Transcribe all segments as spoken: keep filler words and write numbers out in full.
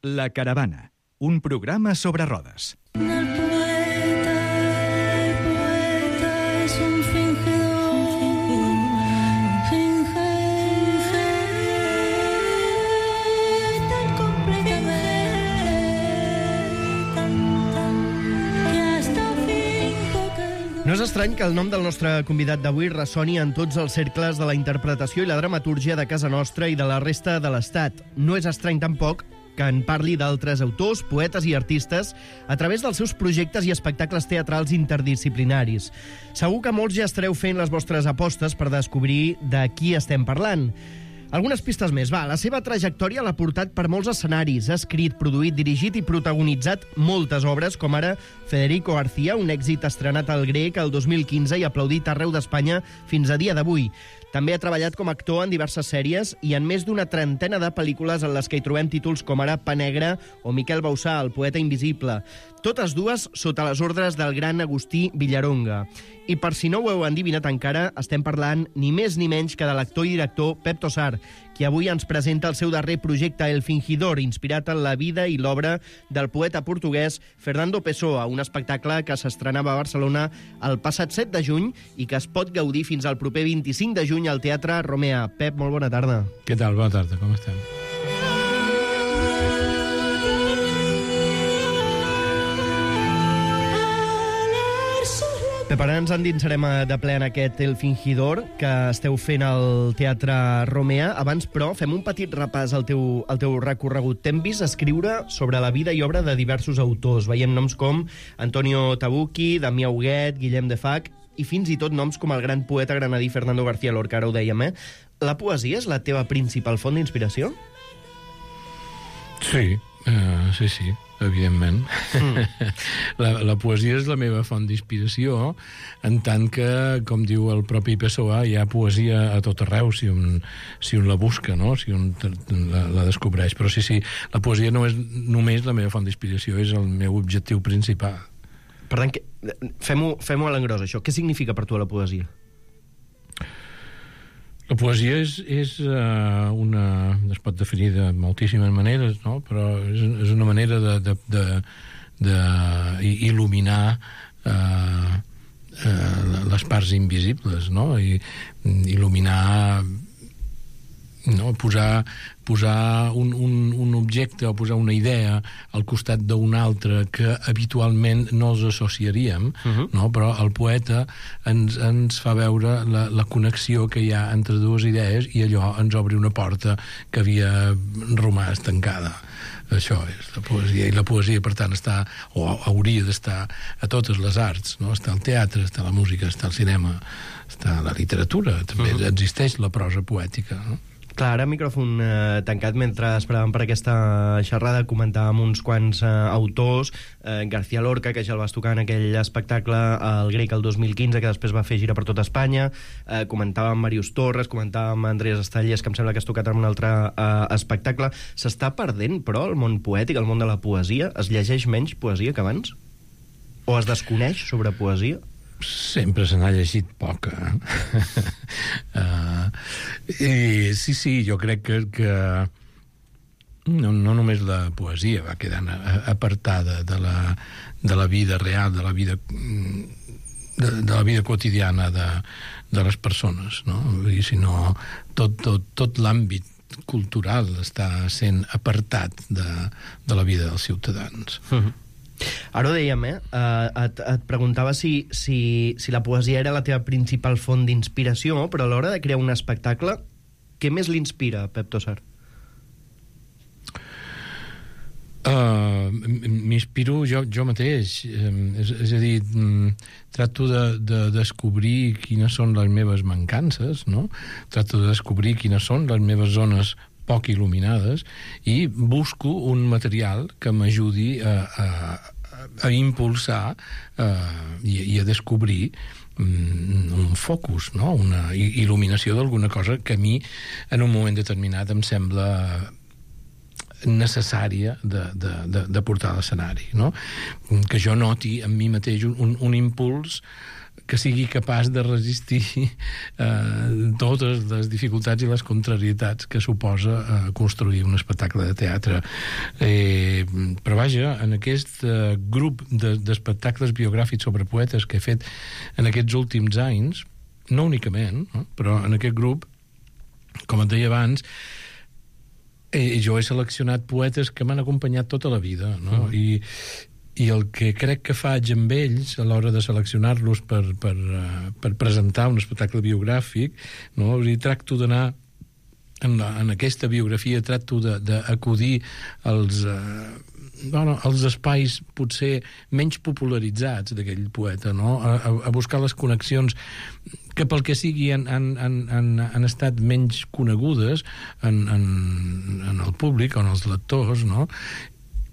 La Caravana, un programa sobre rodes. El poeta, el poeta és un fingidor, finge, finge tan completament, tan, tan, que hasta finge que... No és estrany que el nom del nostre convidat d'avui ressoni en tots els cercles de la interpretació i la dramatúrgia de casa nostra i de la resta de l'Estat. No és estrany tampoc que en parli d'altres autors, poetes i artistes a través dels seus projectes i espectacles teatrals interdisciplinaris. Segur que molts ja estareu fent les vostres apostes per descobrir de qui estem parlant. Algunes pistes més. Va, la seva trajectòria l'ha portat per molts escenaris. Ha escrit, produït, dirigit i protagonitzat moltes obres, com ara Federico García, un èxit estrenat al Grec el dos mil quinze i aplaudit arreu d'Espanya fins a dia d'avui. També ha treballat com a actor en diverses sèries i en més d'una trentena de pel·lícules en les que hi trobem títols com ara Pa Negre o Miquel Bausà, el poeta invisible. Totes dues sota les ordres del gran Agustí Villaronga. I per si no ho heu endivinat encara, estem parlant ni més ni menys que de l'actor i director Pep Tossar, qui avui ens presenta el seu darrer projecte El Fingidor, inspirat en la vida i l'obra del poeta portuguès Fernando Pessoa, un espectacle que s'estrenava a Barcelona el passat set de juny i que es pot gaudir fins al proper vint-i-cinc de juny al Teatre Romea. Pep, molt bona tarda. Què tal? Bona tarda, com estem? Pep, ara ens endinsarem de ple en aquest El Fingidor que esteu fent al Teatre Romea. Abans, però, fem un petit repàs al teu, al teu recorregut. T'hem vist escriure sobre la vida i obra de diversos autors. Veiem noms com Antonio Tabucchi, Damià Huguet, Guillem de Fach i fins i tot noms com el gran poeta granadí Fernando García Lorca, ara ho dèiem, eh? La poesia és la teva principal font d'inspiració? Sí, uh, sí, sí, evidentment. Mm. la, la poesia és la meva font d'inspiració, en tant que, com diu el propi Pessoa, hi ha poesia a tot arreu, si un, si un la busca, no? Si un la, la descobreix. Però sí, sí, la poesia no és només la meva font d'inspiració, és el meu objectiu principal. Per tant, que, fem-ho fem-ho a l'engròs, això. Què significa per tu la poesia? La poesia és, és uh, una... es pot definir de moltíssimes maneres, no? Però és, és una manera de, de, de, de il·luminar uh, uh, les parts invisibles, no? I il·luminar... no? Posar, posar un, un, un objecte o posar una idea al costat d'un altre que habitualment no els associaríem, uh-huh. no? Però el poeta ens, ens fa veure la, la connexió que hi ha entre dues idees i allò ens obre una porta que havia romàs tancada. Això és la poesia, i la poesia, per tant, està, o hauria d'estar a totes les arts, no? Està al teatre, està la música, està el cinema, està la literatura, també uh-huh. existeix la prosa poètica, no? Clar, ara micròfon eh, tancat, mentre esperàvem per aquesta xerrada, comentàvem uns quants eh, autors, eh, García Lorca, que ja el vas tocar en aquell espectacle al Grec el dos mil quinze, que després va fer gira per tot Espanya, eh, comentàvem Màrius Torres, comentàvem Andrés Estallés, que em sembla que has tocat en un altre eh, espectacle. S'està perdent, però, el món poètic, el món de la poesia? Es llegeix menys poesia que abans? O es desconeix sobre poesia? Sempre se n'ha llegit poca. uh, i sí, sí, jo crec que, que no, no només la poesia va quedant apartada de la, de la vida real, de la vida de, de la vida quotidiana de, de les persones, no? I sinó tot, tot, tot l'àmbit cultural està sent apartat de, de la vida dels ciutadans. Uh-huh. Ara ho dèiem, eh? Uh, et, et preguntava si, si, si la poesia era la teva principal font d'inspiració, però a l'hora de crear un espectacle, què més l'inspira, Pep Tossar? Uh, m'inspiro jo, jo mateix. Uh, és, és a dir, um, trato de, de descobrir quines són les meves mancances, no? Trato de descobrir quines són les meves zones poc il·luminades i busco un material que m'ajudi a, a, a impulsar uh, i, i a descobrir um, un focus, no? Una il·luminació d'alguna cosa que a mi en un moment determinat em sembla necessària de, de, de, de portar a l'escenari, no? Que jo noti en mi mateix un, un, un impuls que sigui capaç de resistir eh, totes les dificultats i les contrarietats que suposa eh, construir un espectacle de teatre. Eh, però vaja, en aquest eh, grup de, d'espectacles biogràfics sobre poetes que he fet en aquests últims anys, no únicament, no? Però en aquest grup, com et deia abans, eh, jo he seleccionat poetes que m'han acompanyat tota la vida, no? Mm. I, i el que crec que faig amb ells a l'hora de seleccionar-los per, per, uh, per presentar un espectacle biogràfic, no? O sigui, tracto d'anar en, la, en aquesta biografia, tracto d'acudir als... Uh, Bueno, els espais potser menys popularitzats d'aquell poeta, no? A, a buscar les connexions que pel que sigui han, han, han, han estat menys conegudes en, en, en el públic o en els lectors, no?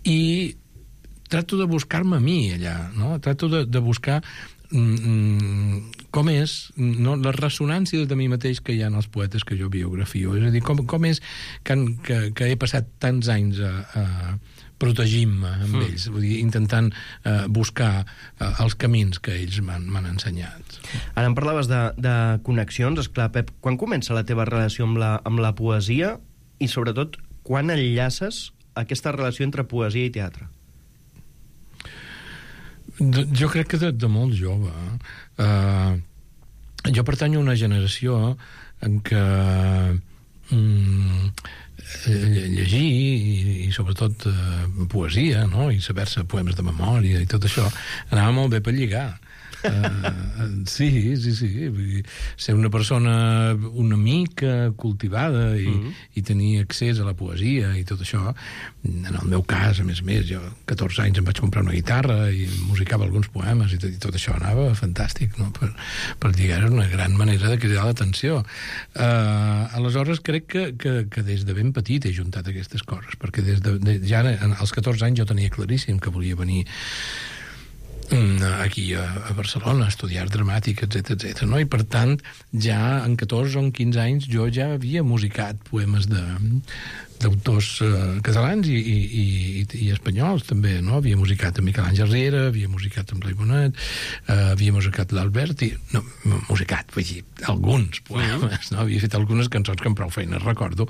I trato de buscar-me a mi allà, no? Trato de, de buscar mm, com és, no? Les ressonàncies de mi mateix que hi ha en els poetes que jo biografio. És a dir, com, com és que, que, que he passat tants anys a... a protegint-me amb mm. ells, vull dir, intentant eh, buscar eh, els camins que ells m'han, m'han ensenyat. Ara em parlaves de, de connexions, esclar, Pep, quan comença la teva relació amb la, amb la poesia i, sobretot, quan enllaces aquesta relació entre poesia i teatre? De, jo crec que de, de molt jove. Uh, jo pertanyo a una generació en què mm, llegir i, i sobretot eh, poesia, no? I saber-se poemes de memòria i tot això anava molt bé per lligar. Uh, sí, sí, sí. Vull dir, ser una persona una mica cultivada i, mm-hmm. i tenir accés a la poesia i tot això. En el meu cas, a més a més, jo catorze anys em vaig comprar una guitarra i musicava alguns poemes i tot, i tot això anava fantàstic, no? Per, per lligar era una gran manera de cridar l'atenció. Uh, aleshores crec que, que, que des de ben petit he juntat aquestes coses, perquè des de, de ja als catorze anys jo tenia claríssim que volia venir aquí a, a Barcelona, a estudiar dramàtic, etcètera, etcètera, no? I per tant, ja en catorze o en quinze anys jo ja havia musicat poemes de d'autors uh, catalans i, i, i, i espanyols també, no? Havia musicat amb Miquel Àngel Riera, havia musicat amb Blai Bonet, uh, havia musicat l'Alberti, no, musicat, vull dir, alguns poemes, no? Havia fet algunes cançons que amb prou feines recordo,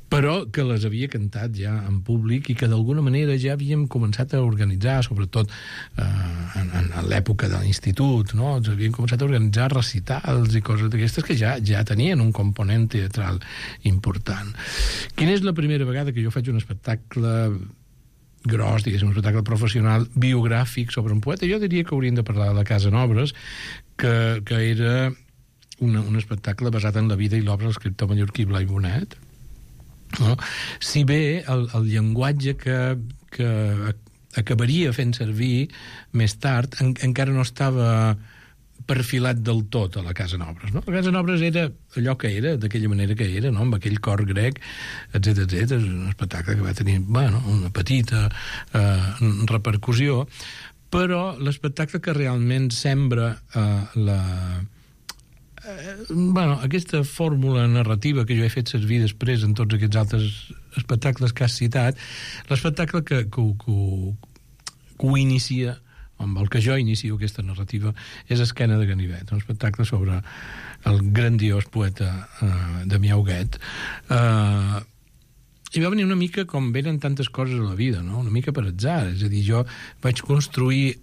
però que les havia cantat ja en públic i que d'alguna manera ja havíem començat a organitzar, sobretot uh, en, en l'època de l'institut, no? Ens havíem començat a organitzar recitals i coses d'aquestes que ja, ja tenien un component teatral important. Quina és la primera vegada que jo faig un espectacle gros, diguéssim, un espectacle professional biogràfic sobre un poeta? Jo diria que hauríem de parlar de la Casa Nobres, que, que era una, un espectacle basat en la vida i l'obra de l'escriptor mallorquí Blai Bonet. No? Si bé el, el llenguatge que, que acabaria fent servir més tard en, encara no estava perfilat del tot a la Casa Nobres, no? La Casa Nobres era allò que era, d'aquella manera que era, no? Amb aquell cor grec, etcètera, etcètera. És un espectacle que va tenir, bueno, una petita eh, repercussió, però l'espectacle que realment sembra eh, la... Eh, bueno, aquesta fórmula narrativa que jo he fet servir després en tots aquests altres espectacles que has citat, l'espectacle que, que, que, que ho inicia, amb el que jo inicio aquesta narrativa, és Esquena de Ganivet, un espectacle sobre el grandiós poeta uh, Damià Huguet. Uh, I va venir una mica com venen tantes coses a la vida, no? Una mica per atzar. És a dir, jo vaig construir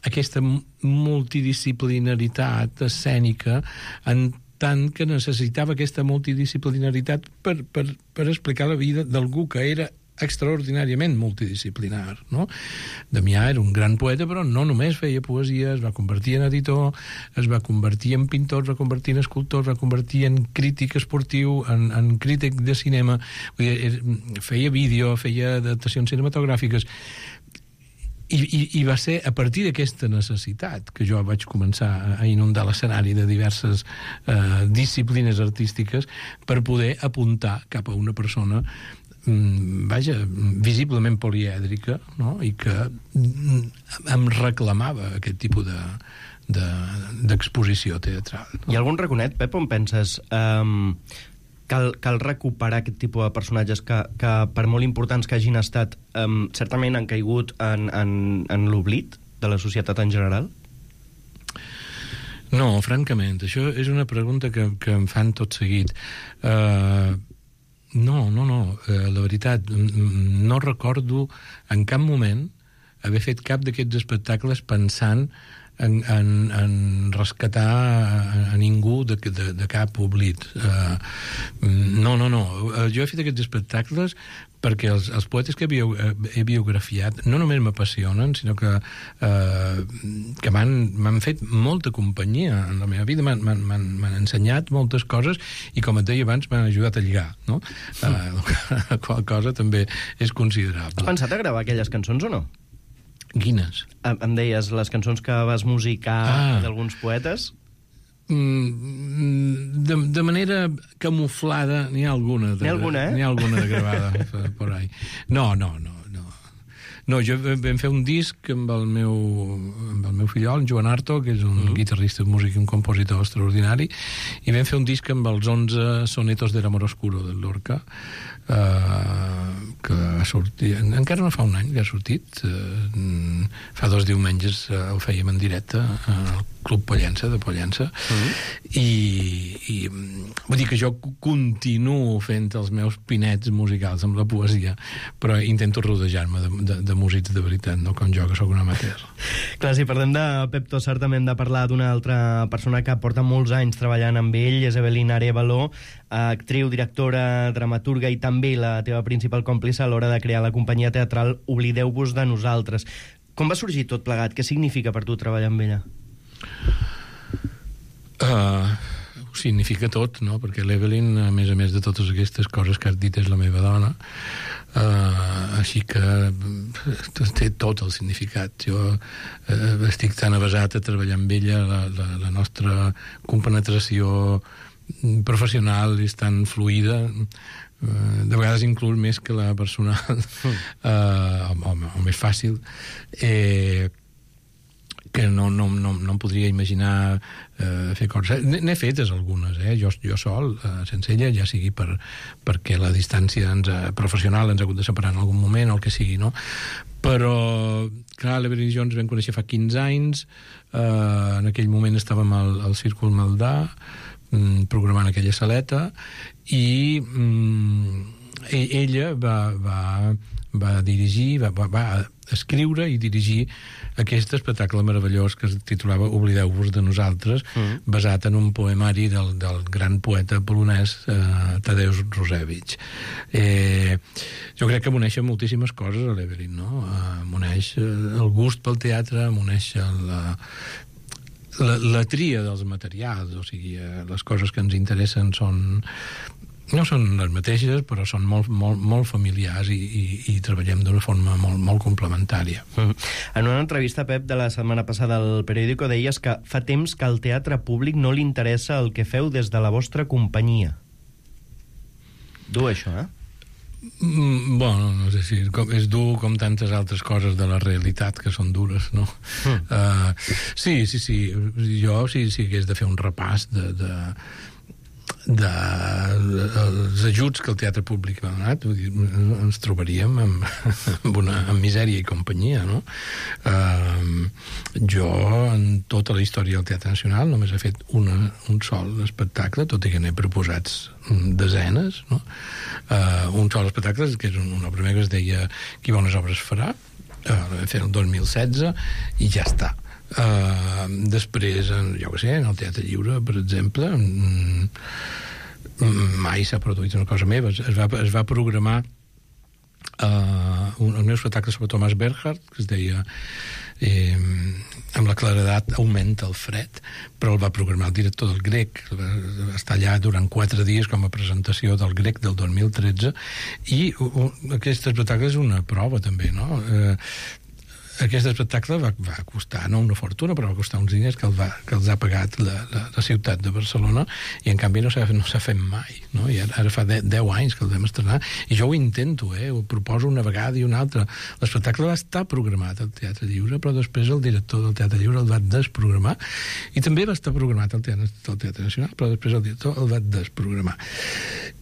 aquesta multidisciplinaritat escènica en tant que necessitava aquesta multidisciplinaritat per, per, per explicar la vida d'algú que era extraordinàriament multidisciplinar, no? Damià era un gran poeta, però no només feia poesia, es va convertir en editor, es va convertir en pintor, es va convertir en escultor, es va convertir en crític esportiu, en, en crític de cinema, vull dir, feia vídeo, feia adaptacions cinematogràfiques, I, i, i va ser a partir d'aquesta necessitat que jo vaig començar a inundar l'escenari de diverses eh, disciplines artístiques per poder apuntar cap a una persona vaja, visiblement polièdrica, no? I que em reclamava aquest tipus de, de, d'exposició teatral. No? Hi ha algun raconet, Pep, on penses um, cal, cal recuperar aquest tipus de personatges que, que per molt importants que hagin estat, um, certament han caigut en, en, en l'oblit de la societat en general? No, francament, això és una pregunta que, que em fan tot seguit. Uh, no, no, no, uh, la veritat, no recordo en cap moment haver fet cap d'aquests espectacles pensant en, en, en rescatar a, a ningú de, de, de cap oblit. Uh, no, no, no. Jo he fet aquests espectacles perquè els, els poetes que he, bio, he biografiat no només m'apassionen, sinó que, uh, que m'han fet molta companyia en la meva vida, m'han ensenyat moltes coses i, com et deia abans, m'han ajudat a lligar, no? Uh, qual cosa també és considerable. Has pensat a gravar aquelles cançons o no? Quines? Em deies les cançons que vas musicar ah. d'alguns poetes? Mm, de, de manera camuflada n'hi ha alguna. N'hi ha alguna, eh? N'hi ha alguna gravada por ahí. No, no, no. No, jo vam fer un disc amb el meu, amb el meu fillol, en Joan Arto, que és un mm. guitarrista, músic i un compositor extraordinari, i vam fer un disc amb els onze sonetos de l'amor oscuro del Lorca, uh, que ha sortit... Encara no fa un any que ha sortit. Uh, fa dos diumenges uh, el fèiem en directe al Club Pollença, de Pollença, mm. i, i vull dir que jo continuo fent els meus pinets musicals amb la poesia, però intento rodejar-me de, de, de músics de veritat, no com jo, que sóc un amateur. Clar, si parlem de Pep Tosar, també hem de parlar d'una altra persona que porta molts anys treballant amb ell, és Evelyn Arévalo, actriu, directora, dramaturga i també la teva principal còmplice a l'hora de crear la companyia teatral Oblideu-vos de nosaltres. Com va sorgir tot plegat? Què significa per tu treballar amb ella? Uh, ho significa tot, no? Perquè l'Evelyn, a més a més de totes aquestes coses que has dit, és la meva dona, uh, així que té tot el significat. Jo uh, estic tan avesat a treballar amb ella, la, la, la nostra compenetració professional és tan fluida, uh, de vegades inclús més que la personal, uh, o, o, o més fàcil, eh, que no, no, no, no em podria imaginar eh, fer coses. N'he fetes algunes, eh? jo, jo sol, eh, sense ella, ja sigui per, perquè la distància ens ha, professional ens ha hagut de separar en algun moment, o el que sigui, no? Però, clar, l'Evelyn i jo ens vam conèixer fa quinze anys, eh, en aquell moment estàvem al, al Círcul Maldà, mm, programant aquella saleta, i mm, ella va, va, va dirigir, va, va, va escriure i dirigir aquest espectacle meravellós que es titulava Oblideu-vos de nosaltres, mm. basat en un poemari del, del gran poeta polonès eh, Tadeusz Różewicz. Eh, jo crec que m'uneix moltíssimes coses a l'Evelyn, no? Eh, m'uneix el gust pel teatre, m'uneix la, la, la tria dels materials, o sigui, eh, les coses que ens interessen són... no són les mateixes, però són molt, molt, molt familiars i, i, i treballem d'una forma molt, molt complementària. Mm. En una entrevista, Pep, de la setmana passada al Periódico, deies que fa temps que al teatre públic no li interessa el que feu des de la vostra companyia. Dur, això, eh? Mm, bueno, no sé si com, és dur com tantes altres coses de la realitat que són dures, no? Mm. Uh, sí, sí, sí. Jo, si, si hagués de fer un repàs de... de de els ajuts que el teatre públic ha donat, ens trobaríem amb, amb, una, amb misèria i companyia, no? Uh, jo, en tota la història del Teatre Nacional, només he fet una, un sol espectacle, tot i que n'he proposats desenes, no? Uh, un sol espectacle, que és una obra meva que es deia Qui bones obres farà, uh, la vam fer el dos mil setze, i ja està. Uh, després, jo què sé, en el Teatre Lliure, per exemple, mm, mai s'ha produït una cosa meva. Es va, es va programar uh, un, el meu espectacle sobre Thomas Bernhard, que es deia eh, amb la claredat augmenta el fred, però el va programar el director del Grec, va, va estar allà durant quatre dies com a presentació del Grec del dos mil tretze, i uh, aquest espectacle és una prova també, no? Eh, aquest espectacle va, va costar, no una fortuna, però va costar uns diners que, el va, que els ha pagat la, la, la ciutat de Barcelona, i en canvi no s'ha no s'ha fet mai, no? I ara, ara fa deu anys que el vam estrenar, i jo ho intento, eh? Ho proposo una vegada i una altra. L'espectacle va estar programat al Teatre Lliure, però després el director del Teatre Lliure el va desprogramar, i també va estar programat al Teatre, al Teatre Nacional, però després el director el va desprogramar.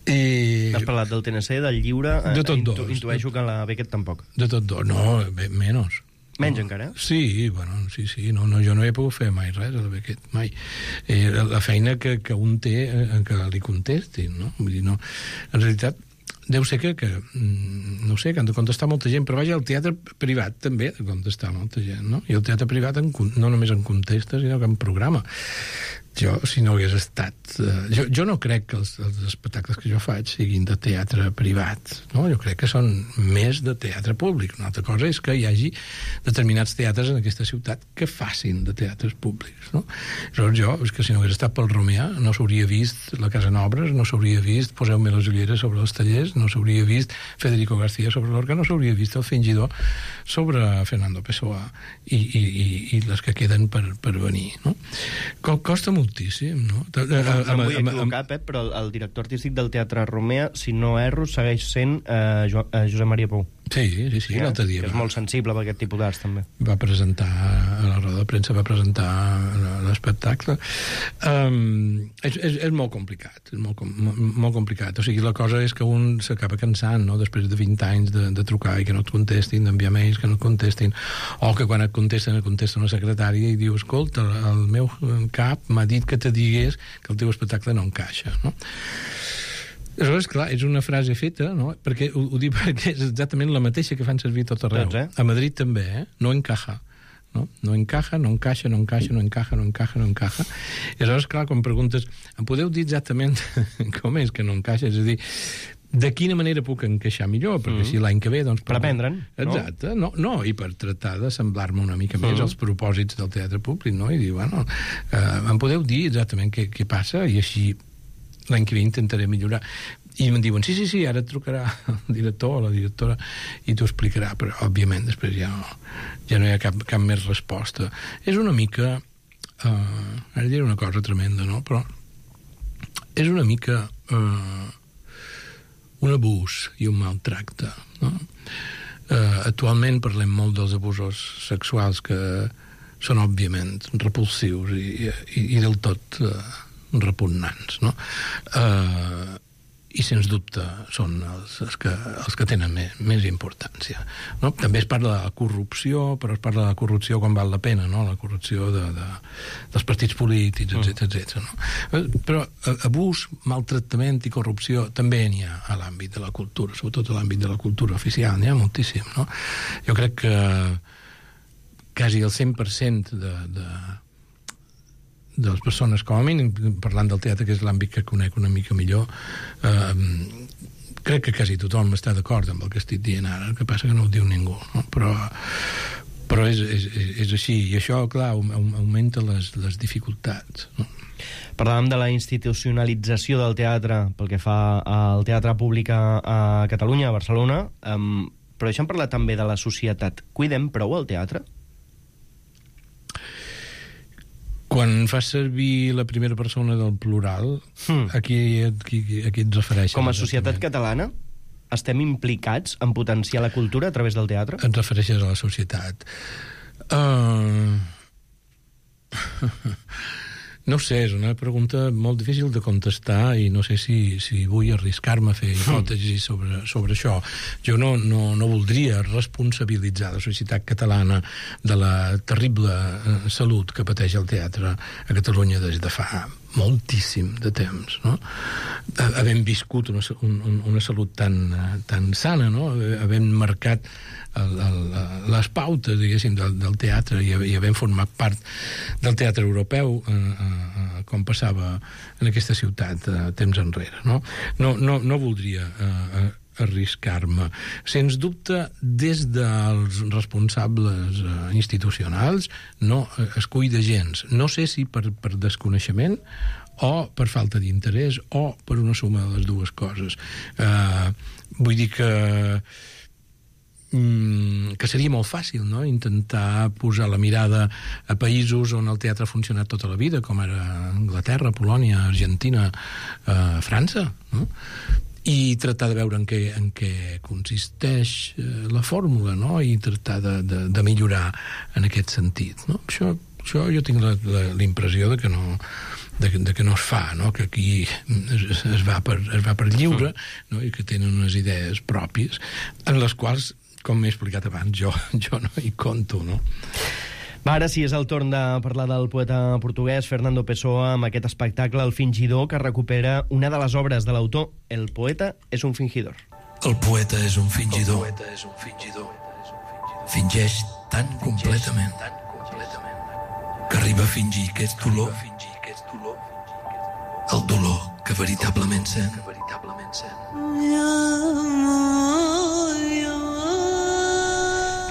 I... Has parlat del T N C, del Lliure, de tot intu dos. Intueixo que la Beckett tampoc. De tot dos, no, menys. Menys encara? Sí, bueno, sí, sí. No, no, jo no he pogut fer mai res a aquest, mai. Eh, la feina que, que un té eh, que li contestin, no? Vull dir, no. En realitat, deu ser que, que no sé, que han de contestar molta gent, però vaja, el teatre privat també ha de contestar molta gent, no? I el teatre privat en, no només en contesta, sinó que en programa. Jo, si no hagués estat... Eh, jo, jo no crec que els, els espectacles que jo faig siguin de teatre privat, no? Jo crec que són més de teatre públic. Una altra cosa és que hi hagi determinats teatres en aquesta ciutat que facin de teatres públics, no? Llavors jo, és que si no hagués estat pel Romeà, no s'hauria vist La Casa Nobres, no s'hauria vist Poseu-me les ulleres sobre els tallers, no s'hauria vist Federico García sobre l'Orca, no s'hauria vist El Fingidor sobre Fernando Pessoa i, i, i, i les que queden per, per venir, no? Costa moltíssim, no? No, no em vull equivocar, Pep, però el, el director artístic del Teatre Romea, si no erro, segueix sent eh, jo, eh, Josep Maria Pou. Sí, sí, sí, ja, l'altre dia. Que és va, molt sensible per aquest tipus d'arts, també. Va presentar, a la roda de premsa va presentar l'espectacle. Um, és, és, és molt complicat, és molt, molt complicat. O sigui, la cosa és que un s'acaba cansant, no?, després de vint anys de, de trucar i que no et contestin, d'enviar mails que no et contestin, o que quan et contesten, et contesta una secretària i diu, escolta, el meu cap m'ha dit que te digués que el teu espectacle no encaixa, no? Aleshores, clar, és una frase feta, no? Perquè ho, ho dic perquè és exactament la mateixa que fan servir tot arreu. Doncs, eh? A Madrid també, eh? No encaja. No? No encaja, no encaixa, no encaixa, no encaja, no encaja, no encaja. I aleshores, clar, quan preguntes, em podeu dir exactament com és que no encaixa? És a dir, de quina manera puc encaixar millor? Perquè mm. si l'any que ve, doncs... Per aprendre'n, no? Exacte, no, no, i per tratar de semblar-me una mica més mm. als propòsits del teatre públic, no? I dir, bueno, eh, em podeu dir exactament què, què passa? I així l'any que ve intentaré millorar. I em diuen, sí, sí, sí, ara et trucarà el director o la directora i t'ho explicarà, però òbviament després ja no, ja no hi ha cap, cap més resposta. És una mica, uh, ara diré una cosa tremenda, no?, però és una mica uh, un abús i un maltracte, no? Uh, actualment parlem molt dels abusos sexuals que són òbviament repulsius i, i, i del tot uh, repugnants, no? Uh, i sens dubte són els, els, que, els que tenen més, més importància, no? També es parla de la corrupció, però es parla de la corrupció quan val la pena, no? La corrupció de, de, dels partits polítics, etcètera, etcètera, no? Però abús, maltractament i corrupció també n'hi ha a l'àmbit de la cultura, sobretot a l'àmbit de la cultura oficial, n'hi ha moltíssim, no? Jo crec que quasi el cent per cent de, de de les persones, com a mínim, parlant del teatre, que és l'àmbit que conec una mica millor, eh, crec que quasi tothom està d'acord amb el que estic dient ara, el que passa que no ho diu ningú, no? Però, però és, és, és així, i això, clar, augmenta les, les dificultats, no? Parlàvem de la institucionalització del teatre pel que fa al teatre públic a Catalunya, a Barcelona, um, però deixem parlar també de la societat. Cuidem prou el teatre? Quan fas servir la primera persona del plural, hmm. a, qui, a, qui, a qui et refereixes? Com a societat catalana, estem implicats en potenciar la cultura a través del teatre? Et refereixes a la societat. Uh... No sé, és una pregunta molt difícil de contestar i no sé si, si vull arriscar-me a fer hipòtesis sobre, sobre això. Jo no, no, no voldria responsabilitzar la societat catalana de la terrible eh, salut que pateix el teatre a Catalunya des de fa moltíssim de temps, no? Havent viscut una, un, una salut tan, tan sana, no? Havent marcat el, el, les pautes, diguéssim, del, del teatre i, i havent format part del teatre europeu, eh, eh, com passava en aquesta ciutat eh, temps enrere, no? No, no, no voldria eh, arriscar-me. Sens dubte, des dels responsables eh, institucionals no es cuida gens. No sé si per, per desconeixement o per falta d'interès o per una suma de les dues coses. Eh, vull dir que que seria molt fàcil, no?, intentar posar la mirada a països on el teatre ha funcionat tota la vida, com ara Anglaterra, Polònia, Argentina, eh, França, no?, i tractar de veure en què, en què consisteix eh, la fórmula, no?, i tractar de, de, de millorar en aquest sentit, no? Això, això jo tinc la, la, la impressió de que no... De, de que no es fa, no? Que aquí es, es, va per, es va per lliure, no? I que tenen unes idees pròpies en les quals com m'he explicat abans, jo, jo no hi conto, no? Va, ara sí, és el torn de parlar del poeta portuguès Fernando Pessoa amb aquest espectacle El fingidor, que recupera una de les obres de l'autor. El poeta és un fingidor. El poeta és un fingidor. Fingeix tan completament que arriba a fingir que és dolor. El dolor que veritablement sent.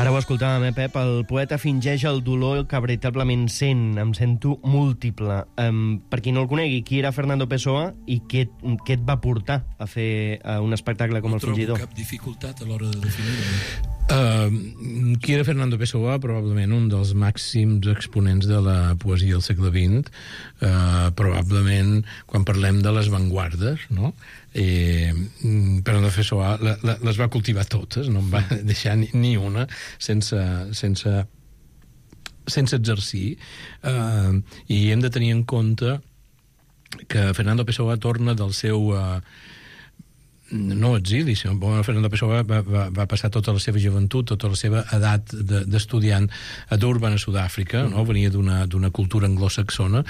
Ara ho escoltàvem, eh, Pep? El poeta fingeix el dolor que veritablement sent. Em sento múltiple. Um, per qui no el conegui, qui era Fernando Pessoa i què, què et va portar a fer uh, un espectacle com no El fingidor? No trobo cap dificultat a l'hora de definir-ho. Uh, qui era Fernando Pessoa? Probablement un dels màxims exponents de la poesia del segle vint. Uh, probablement, quan parlem de les vanguardes, no? Eh, Fernando Pessoa la, la, les va cultivar totes, no en va deixar ni, ni una sense, sense, sense exercir. Uh, I hem de tenir en compte que Fernando Pessoa torna del seu... Uh, no exili, sinó que Fernando Pessoa va, va, va passar tota la seva joventut, tota la seva edat d'estudiant a Durban, a Sud-àfrica, no? Venia d'una d'una cultura anglosaxona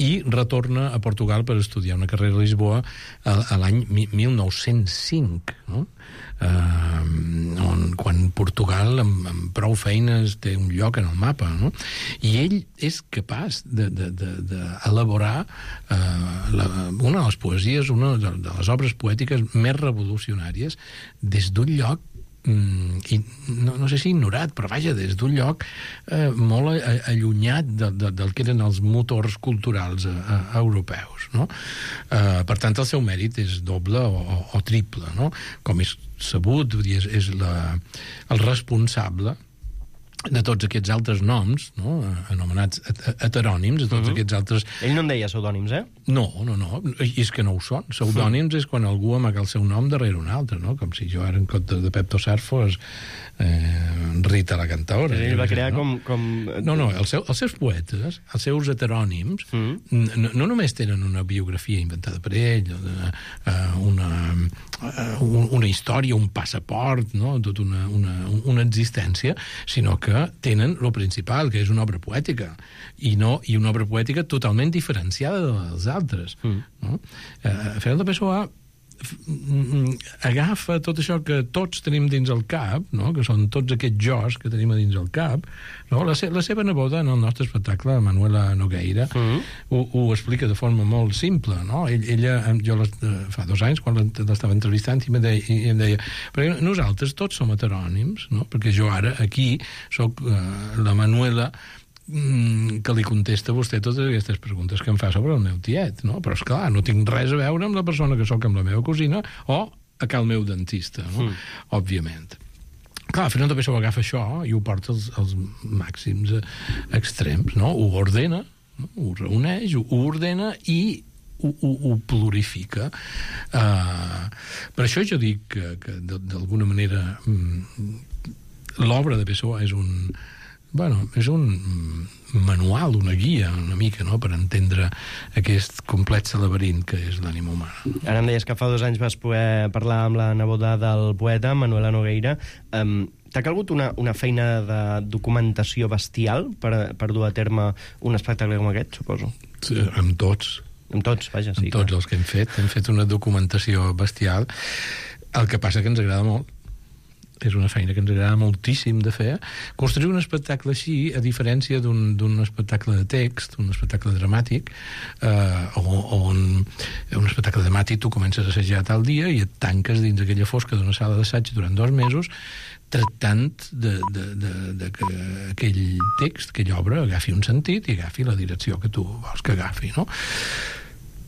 i retorna a Portugal per estudiar una carrera a Lisboa a, a l'any mil nou-cents cinc, no? Uh, on, quan Portugal amb, amb prou feines té un lloc en el mapa, no? I ell és capaç d'elaborar de, de, de uh, la, una de les poesies, una de, de les obres poètiques més revolucionàries des d'un lloc mm, i no, no sé si ignorat, però vaja, des d'un lloc eh, molt allunyat de, de, del que eren els motors culturals a, a, europeus, no? Eh, per tant, el seu mèrit és doble o, o, o triple, no? Com és sabut, és, és la, el responsable de tots aquests altres noms, no? Anomenats heterònims, de tots uh-huh. aquests altres... Ell no en deia pseudònims, eh? No, no, no, i és que no ho són. Pseudònims uh-huh. és quan algú amaga el seu nom darrere un altre, no? Com si jo ara en compte de Pep Tosar fos eh, Rita la cantaora. Ell va crear no? com, com... No, no, el seu, els seus poetes, els seus heterònims, uh-huh. no, no només tenen una biografia inventada per ell, una, una, una història, un passaport, no? Tot una, una, una existència, sinó que tenen lo principal, que és una obra poètica, i no i una obra poètica totalment diferenciada de les altres. Mm. No? Eh, Fernando Pessoa agafa tot això que tots tenim dins el cap, no? Que són tots aquests jós que tenim a dins el cap, no? la, se la seva neboda en el nostre espectacle, Manuela Nogueira, mm. ho, ho explica de forma molt simple, no? Ell, ella, jo les, fa dos anys quan l'estava entrevistant i em deia, i em deia perquè nosaltres tots som heterònims, no? Perquè jo ara aquí soc uh, la Manuela que li contesta a vostè totes aquestes preguntes que em fa sobre el meu tiet, no? Però, esclar, no tinc res a veure amb la persona que sóc amb la meva cosina o a cal meu dentista, no? Mm. Òbviament. Clar, Fernando Pessoa agafa això i ho porta als, als màxims extrems, no? Ho ordena, no? Ho reuneix, ho, ho ordena i ho, ho, ho plurifica. Uh, per això jo dic que, que d'alguna manera l'obra de Pessoa és un... Bueno, és un manual, una guia, una mica, no?, per entendre aquest complex laberint que és l'ànima humana. Ara em deies que fa dos anys vas poder parlar amb la neboda del poeta, Manuela Nogueira. Um, T'ha calgut una, una feina de documentació bestial per, per dur a terme un espectacle com aquest, suposo? Sí, amb tots. Amb tots, vaja, sí. Amb tots clar. els que hem fet. Hem fet una documentació bestial. El que passa que ens agrada molt. És una feina que ens agrada moltíssim de fer. Construir un espectacle així, a diferència d'un espectacle de text, un espectacle dramàtic, eh, on un espectacle dramàtic tu comences a assajar tal dia i et tanques dins aquella fosca d'una sala d'assaig durant dos mesos tractant de, de, de, de que aquell text, aquella obra, agafi un sentit i agafi la direcció que tu vols que agafi, no?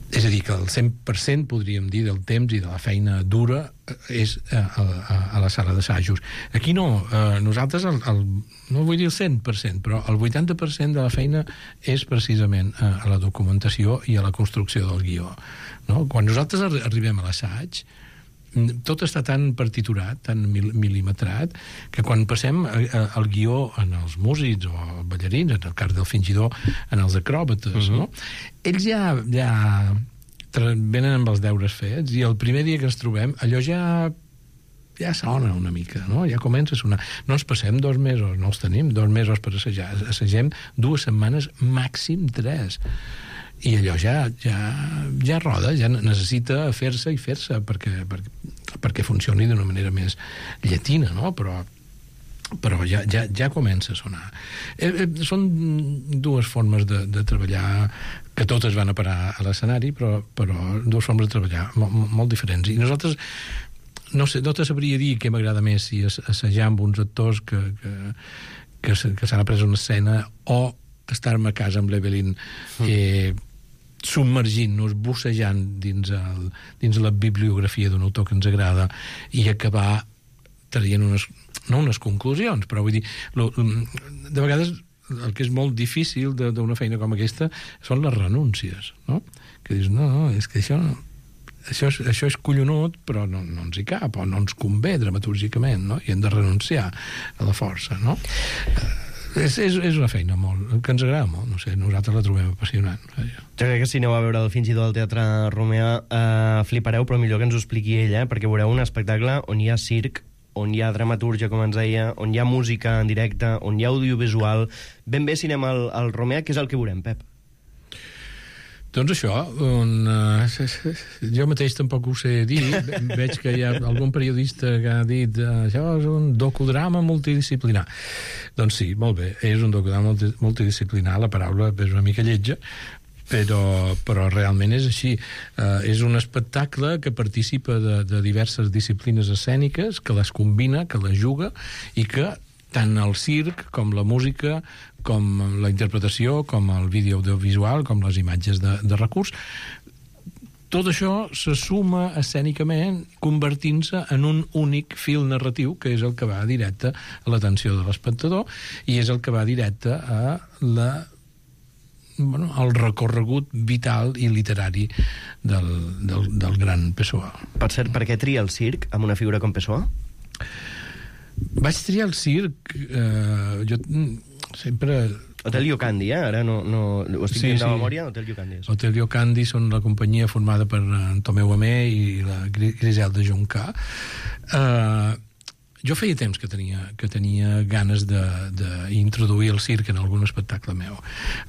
És a dir, que el cent per cent, podríem dir, del temps i de la feina dura és a, a, a la sala d'assajos. Aquí no, eh, nosaltres, el, el, no vull dir el cent per cent, però el vuitanta per cent de la feina és precisament a, a la documentació i a la construcció del guió. No? Quan nosaltres arribem a l'assaig, tot està tan partiturat, tan mil mil·limetrat, que quan passem el guió en els músics o ballarins, en el cas del fingidor, en els acròbates, uh-huh. no? Ells ja, ja venen amb els deures fets i el primer dia que ens trobem, allò ja ja sona una mica, no? Ja comença a sonar. No ens passem dos mesos, no els tenim, dos mesos per assajar. Assagem dues setmanes, màxim tres. I allò ja, ja, ja roda, ja necessita fer-se i fer-se perquè, perquè, perquè funcioni d'una manera més llatina, no? Però però ja, ja, ja comença a sonar. Eh, eh, són dues formes de, de treballar que totes van a parar a l'escenari, però, però dues formes de treballar molt, molt diferents. I nosaltres, no sé, no te sabria dir què m'agrada més, si assajar amb uns actors que, que, que, que s'han après una escena o estar-me a casa amb l'Evelyn eh, submergint-nos, bussejant dins, el, dins la bibliografia d'un autor que ens agrada i acabar traient unes no unes conclusions, però vull dir, lo, de vegades el que és molt difícil d'una feina com aquesta són les renúncies, no? Que dius, no, no, és que això, això, és, això és collonut, però no, no ens hi cap, o no ens convé dramatúrgicament, no? I hem de renunciar a la força, no? És, és, és una feina molt, que ens agrada molt, no sé, nosaltres la trobem apassionant. Jo crec que si aneu a veure el Fingidor al Teatre Romea eh, flipareu, però millor que ens ho expliqui ella, eh, perquè veureu un espectacle on hi ha circ, on hi ha dramatúrgia, com ens deia, on hi ha música en directe, on hi ha audiovisual. Ben bé si anem al, al Romea, què és el que veurem, Pep? Doncs això, on, uh, jo mateix tampoc ho sé dir. Veig que hi ha algun periodista que ha dit uh, això és un docudrama multidisciplinar. Doncs sí, molt bé, és un docudrama multidisciplinar, la paraula és una mica lletja, però, però realment és així. Uh, és un espectacle que participa de, de diverses disciplines escèniques, que les combina, que les juga, i que tant el circ, com la música, com la interpretació, com el vídeo audiovisual, com les imatges de, de recurs, tot això se suma escènicament convertint-se en un únic fil narratiu, que és el que va directe a l'atenció de l'espectador i és el que va directe a la bueno, el recorregut vital i literari del, del, del gran Pessoa. Per cert, per què tria el circ amb una figura com Pessoa? Vaig triar el circ... Eh, jo sempre... Hotel Llocandi, eh? Ara no, no, ho estic sí, dient de sí. memòria, Hotel Llocandi. És. Hotel Llocandi són la companyia formada per en Tomeu Amé i la Griselda Juncà. Eh... Jo feia temps que tenia, que tenia ganes d'introduir el circ en algun espectacle meu.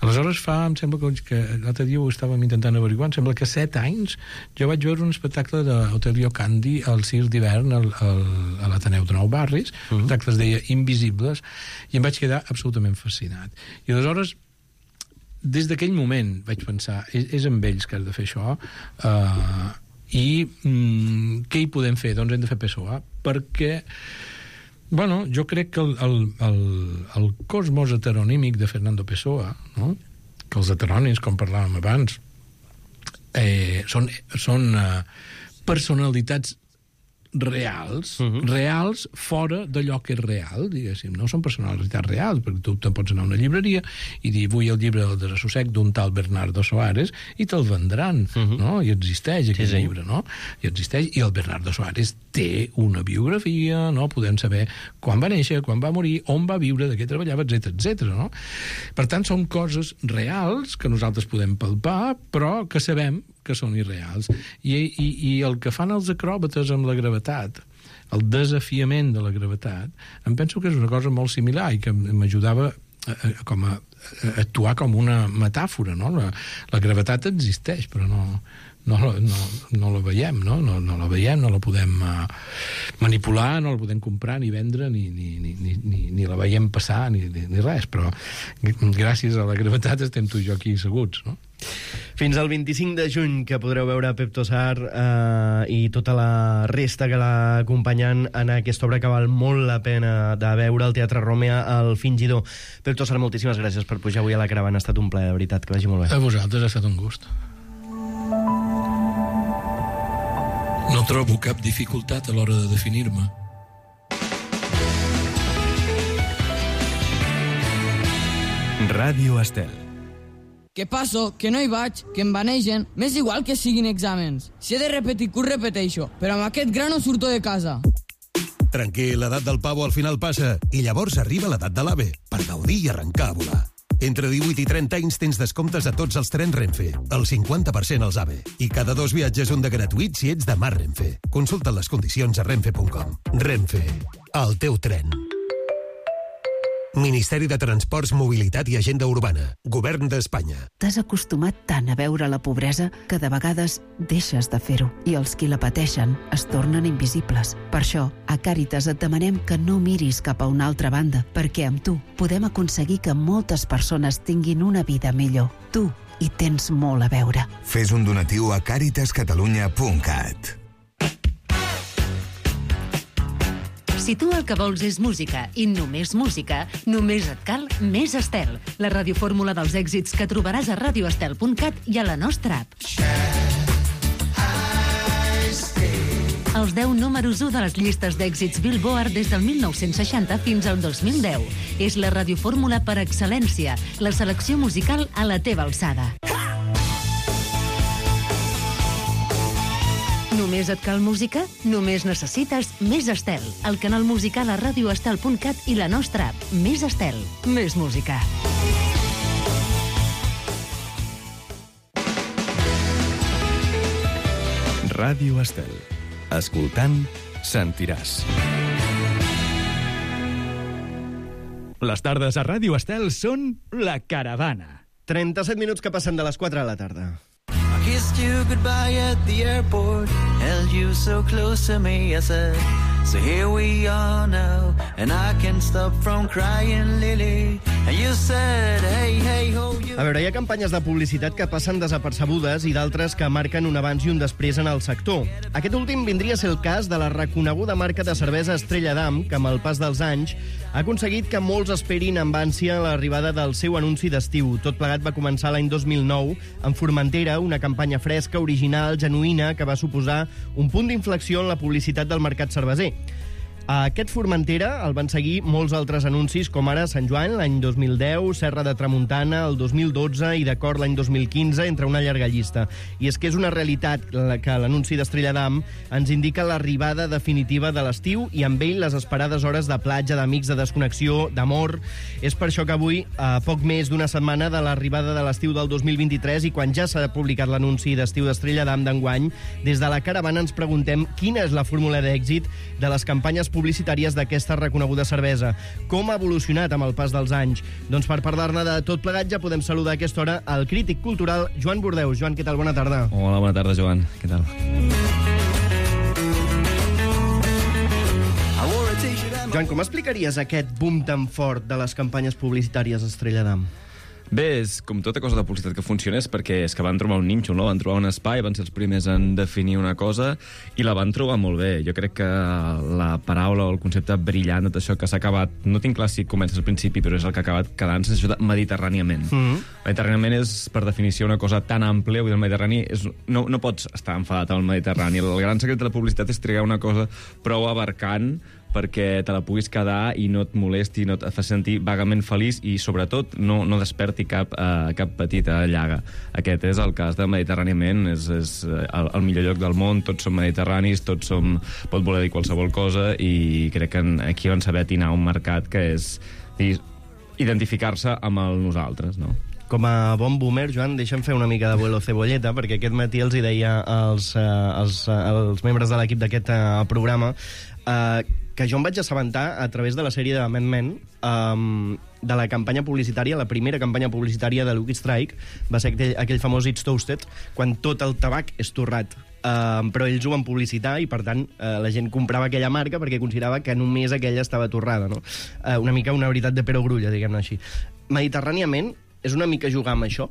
Aleshores fa, em sembla que, que l'altre dia ho estàvem intentant averiguar, em sembla que set anys jo vaig veure un espectacle d'Hotel Llocandi al circ d'hivern al, al, a l'Ateneu de Nou Barris, uh -huh. l'espectacle es deia Invisibles, i em vaig quedar absolutament fascinat. I aleshores, des d'aquell moment vaig pensar, és, és amb ells que has de fer això, eh... i mm, què hi podem fer? Doncs hem de fer Pessoa, perquè bueno, jo crec que el, el, el, el cosmos heteronímic de Fernando Pessoa, no? Que els heterònims, com parlàvem abans, eh, són, són eh, personalitats reals, uh -huh. reals fora d'allò que és real, diguéssim, no són personalitats reals, perquè tu te'n pots anar a una llibreria i dir, vull el llibre del desassossec d'un tal Bernardo Soares, i te'l vendran, uh -huh. no? I existeix aquest sí, sí. llibre, no? I existeix, i el Bernardo Soares té una biografia, no? Podem saber quan va néixer, quan va morir, on va viure, de què treballava, etcètera, etcètera, no? Per tant, són coses reals que nosaltres podem palpar, però que sabem que són irreals. I, i, i el que fan els acròbates amb la gravetat, el desafiament de la gravetat, em penso que és una cosa molt similar i que m'ajudava a, a, com a, a actuar com una metàfora, no? La, la gravetat existeix, però no, no, no, no la veiem, no? No, no la veiem, no la podem uh, manipular, no la podem comprar ni vendre, ni, ni, ni, ni, ni la veiem passar, ni, ni, ni res, però gràcies a la gravetat estem tu i jo aquí asseguts, no? Fins al vint-i-cinc de juny, que podreu veure Pep Tossar eh, i tota la resta que l'ha acompanyant en aquesta obra que val molt la pena de veure al Teatre Romea, El Fingidor. Pep Tossar, moltíssimes gràcies per pujar avui a la caravana. Ha estat un plaer, de veritat, que vagi molt bé. A vosaltres ha estat un gust. No trobo cap dificultat a l'hora de definir-me. Ràdio Estel. Que passo, que no hi vaig, que em banegen, m'és igual que siguin exàmens. Si he de repetir curs, repeteixo, però amb aquest gra no surto de casa. Tranquil, l'edat del pavo al final passa, i llavors arriba l'edat de l'ave, per gaudir i arrencar a volar. Entre divuit i trenta anys tens descomptes a tots els trens Renfe, el cinquanta per cent als AVE, i cada dos viatges un de gratuït si ets de Mar Renfe. Consulta les condicions a renfe punt com. Renfe, el teu tren. Ministeri de Transports, Mobilitat i Agenda Urbana. Govern d'Espanya. T'has acostumat tant a veure la pobresa que de vegades deixes de fer-ho i els qui la pateixen es tornen invisibles. Per això, a Càritas et demanem que no miris cap a una altra banda, perquè amb tu podem aconseguir que moltes persones tinguin una vida millor. Tu hi tens molt a veure. Fes un donatiu a càritas catalunya punt cat. Si tu el que vols és música i només música, només et cal Més Estel, la radiofórmula dels èxits que trobaràs a radio estel punt cat i a la nostra app. Els deu números u de les llistes d'èxits Billboard des del mil nou-cents seixanta fins al dos mil deu. És la radiofórmula per excel·lència, la selecció musical a la teva alçada. Només et cal música? Només necessites Més Estel, el canal musical a radio estel punt cat i la nostra app. Més Estel, més música. Ràdio Estel. Escoltant, sentiràs. Les tardes a Ràdio Estel són La Caravana. trenta-set minuts que passen de les quatre de la tarda. Kissed you goodbye at the airport, held you so close to me, I said, so here we are now, and I can't stop from crying, Lily, and you said, hey, hey, ho, you... A veure, hi ha campanyes de publicitat que passen desapercebudes i d'altres que marquen un abans i un després en el sector. Aquest últim vindria a ser el cas de la reconeguda marca de cervesa Estrella d'Am, que amb el pas dels anys ha aconseguit que molts esperin amb ànsia l'arribada del seu anunci d'estiu. Tot plegat va començar l'any dos mil nou amb Formentera, una campanya fresca, original, genuïna, que va suposar un punt d'inflexió en la publicitat del mercat cerveser. A aquest Formentera el van seguir molts altres anuncis, com ara Sant Joan, l'any dos mil deu, Serra de Tramuntana, el dos mil dotze i d'Acord l'any dos mil quinze, entre una llarga llista. I és que és una realitat que l'anunci d'Estrella d'Am ens indica l'arribada definitiva de l'estiu i amb ell les esperades hores de platja, d'amics, de desconnexió, d'amor. És per això que avui, a poc més d'una setmana de l'arribada de l'estiu del dos mil vint-i-tres i quan ja s'ha publicat l'anunci d'estiu d'Estrella d'Am d'enguany, des de la Caravana ens preguntem quina és la fórmula d'èxit de les campanyes publicitàries d'aquesta reconeguda cervesa. Com ha evolucionat amb el pas dels anys? Doncs per parlar-ne de tot plegat ja podem saludar a aquesta hora el crític cultural Joan Bordeus. Joan, què tal? Bona tarda. Hola, bona tarda, Joan. Què tal? Joan, com explicaries aquest boom tan fort de les campanyes publicitàries Estrella d'Am? Bé, és com tota cosa de publicitat que funciona, és perquè és que van trobar un nínxol, no? Van trobar un espai, van ser els primers en definir una cosa i la van trobar molt bé. Jo crec que la paraula o el concepte brillant de tot això que s'ha acabat, no tinc clar si comença al principi, però és el que ha acabat quedant-se, és això de mediterràniament. Mm-hmm. Mediterràniament és, per definició, una cosa tan àmplia, vull dir, el Mediterrani és, no, no pots estar enfadat amb el Mediterrani. El gran secret de la publicitat és trigar una cosa prou abarcant perquè te la puguis quedar i no et molesti, no et fa sentir vagament feliç i, sobretot, no, no desperti cap, uh, cap petita llaga. Aquest és el cas de Mediterràniament, és, és el, el millor lloc del món, tots som mediterranis, tots som... pot voler dir qualsevol cosa i crec que aquí van saber atinar un mercat que és identificar-se amb el nosaltres, no? Com a bon boomer, Joan, deixa'm fer una mica de vuelo cebolleta, perquè aquest matí els hi deia als, uh, als, uh, als membres de l'equip d'aquest uh, programa uh, que jo em vaig assabentar a través de la sèrie de Mad Men um, de la campanya publicitària, la primera campanya publicitària de Lucky Strike va ser aquell, aquell famós It's Toasted, quan tot el tabac és torrat. Uh, però ells ho van publicitar i, per tant, uh, la gent comprava aquella marca perquè considerava que només aquella estava torrada, no? Uh, una mica una veritat de perogrulla, diguem-ne així. Mediterràniament és una mica jugar amb això?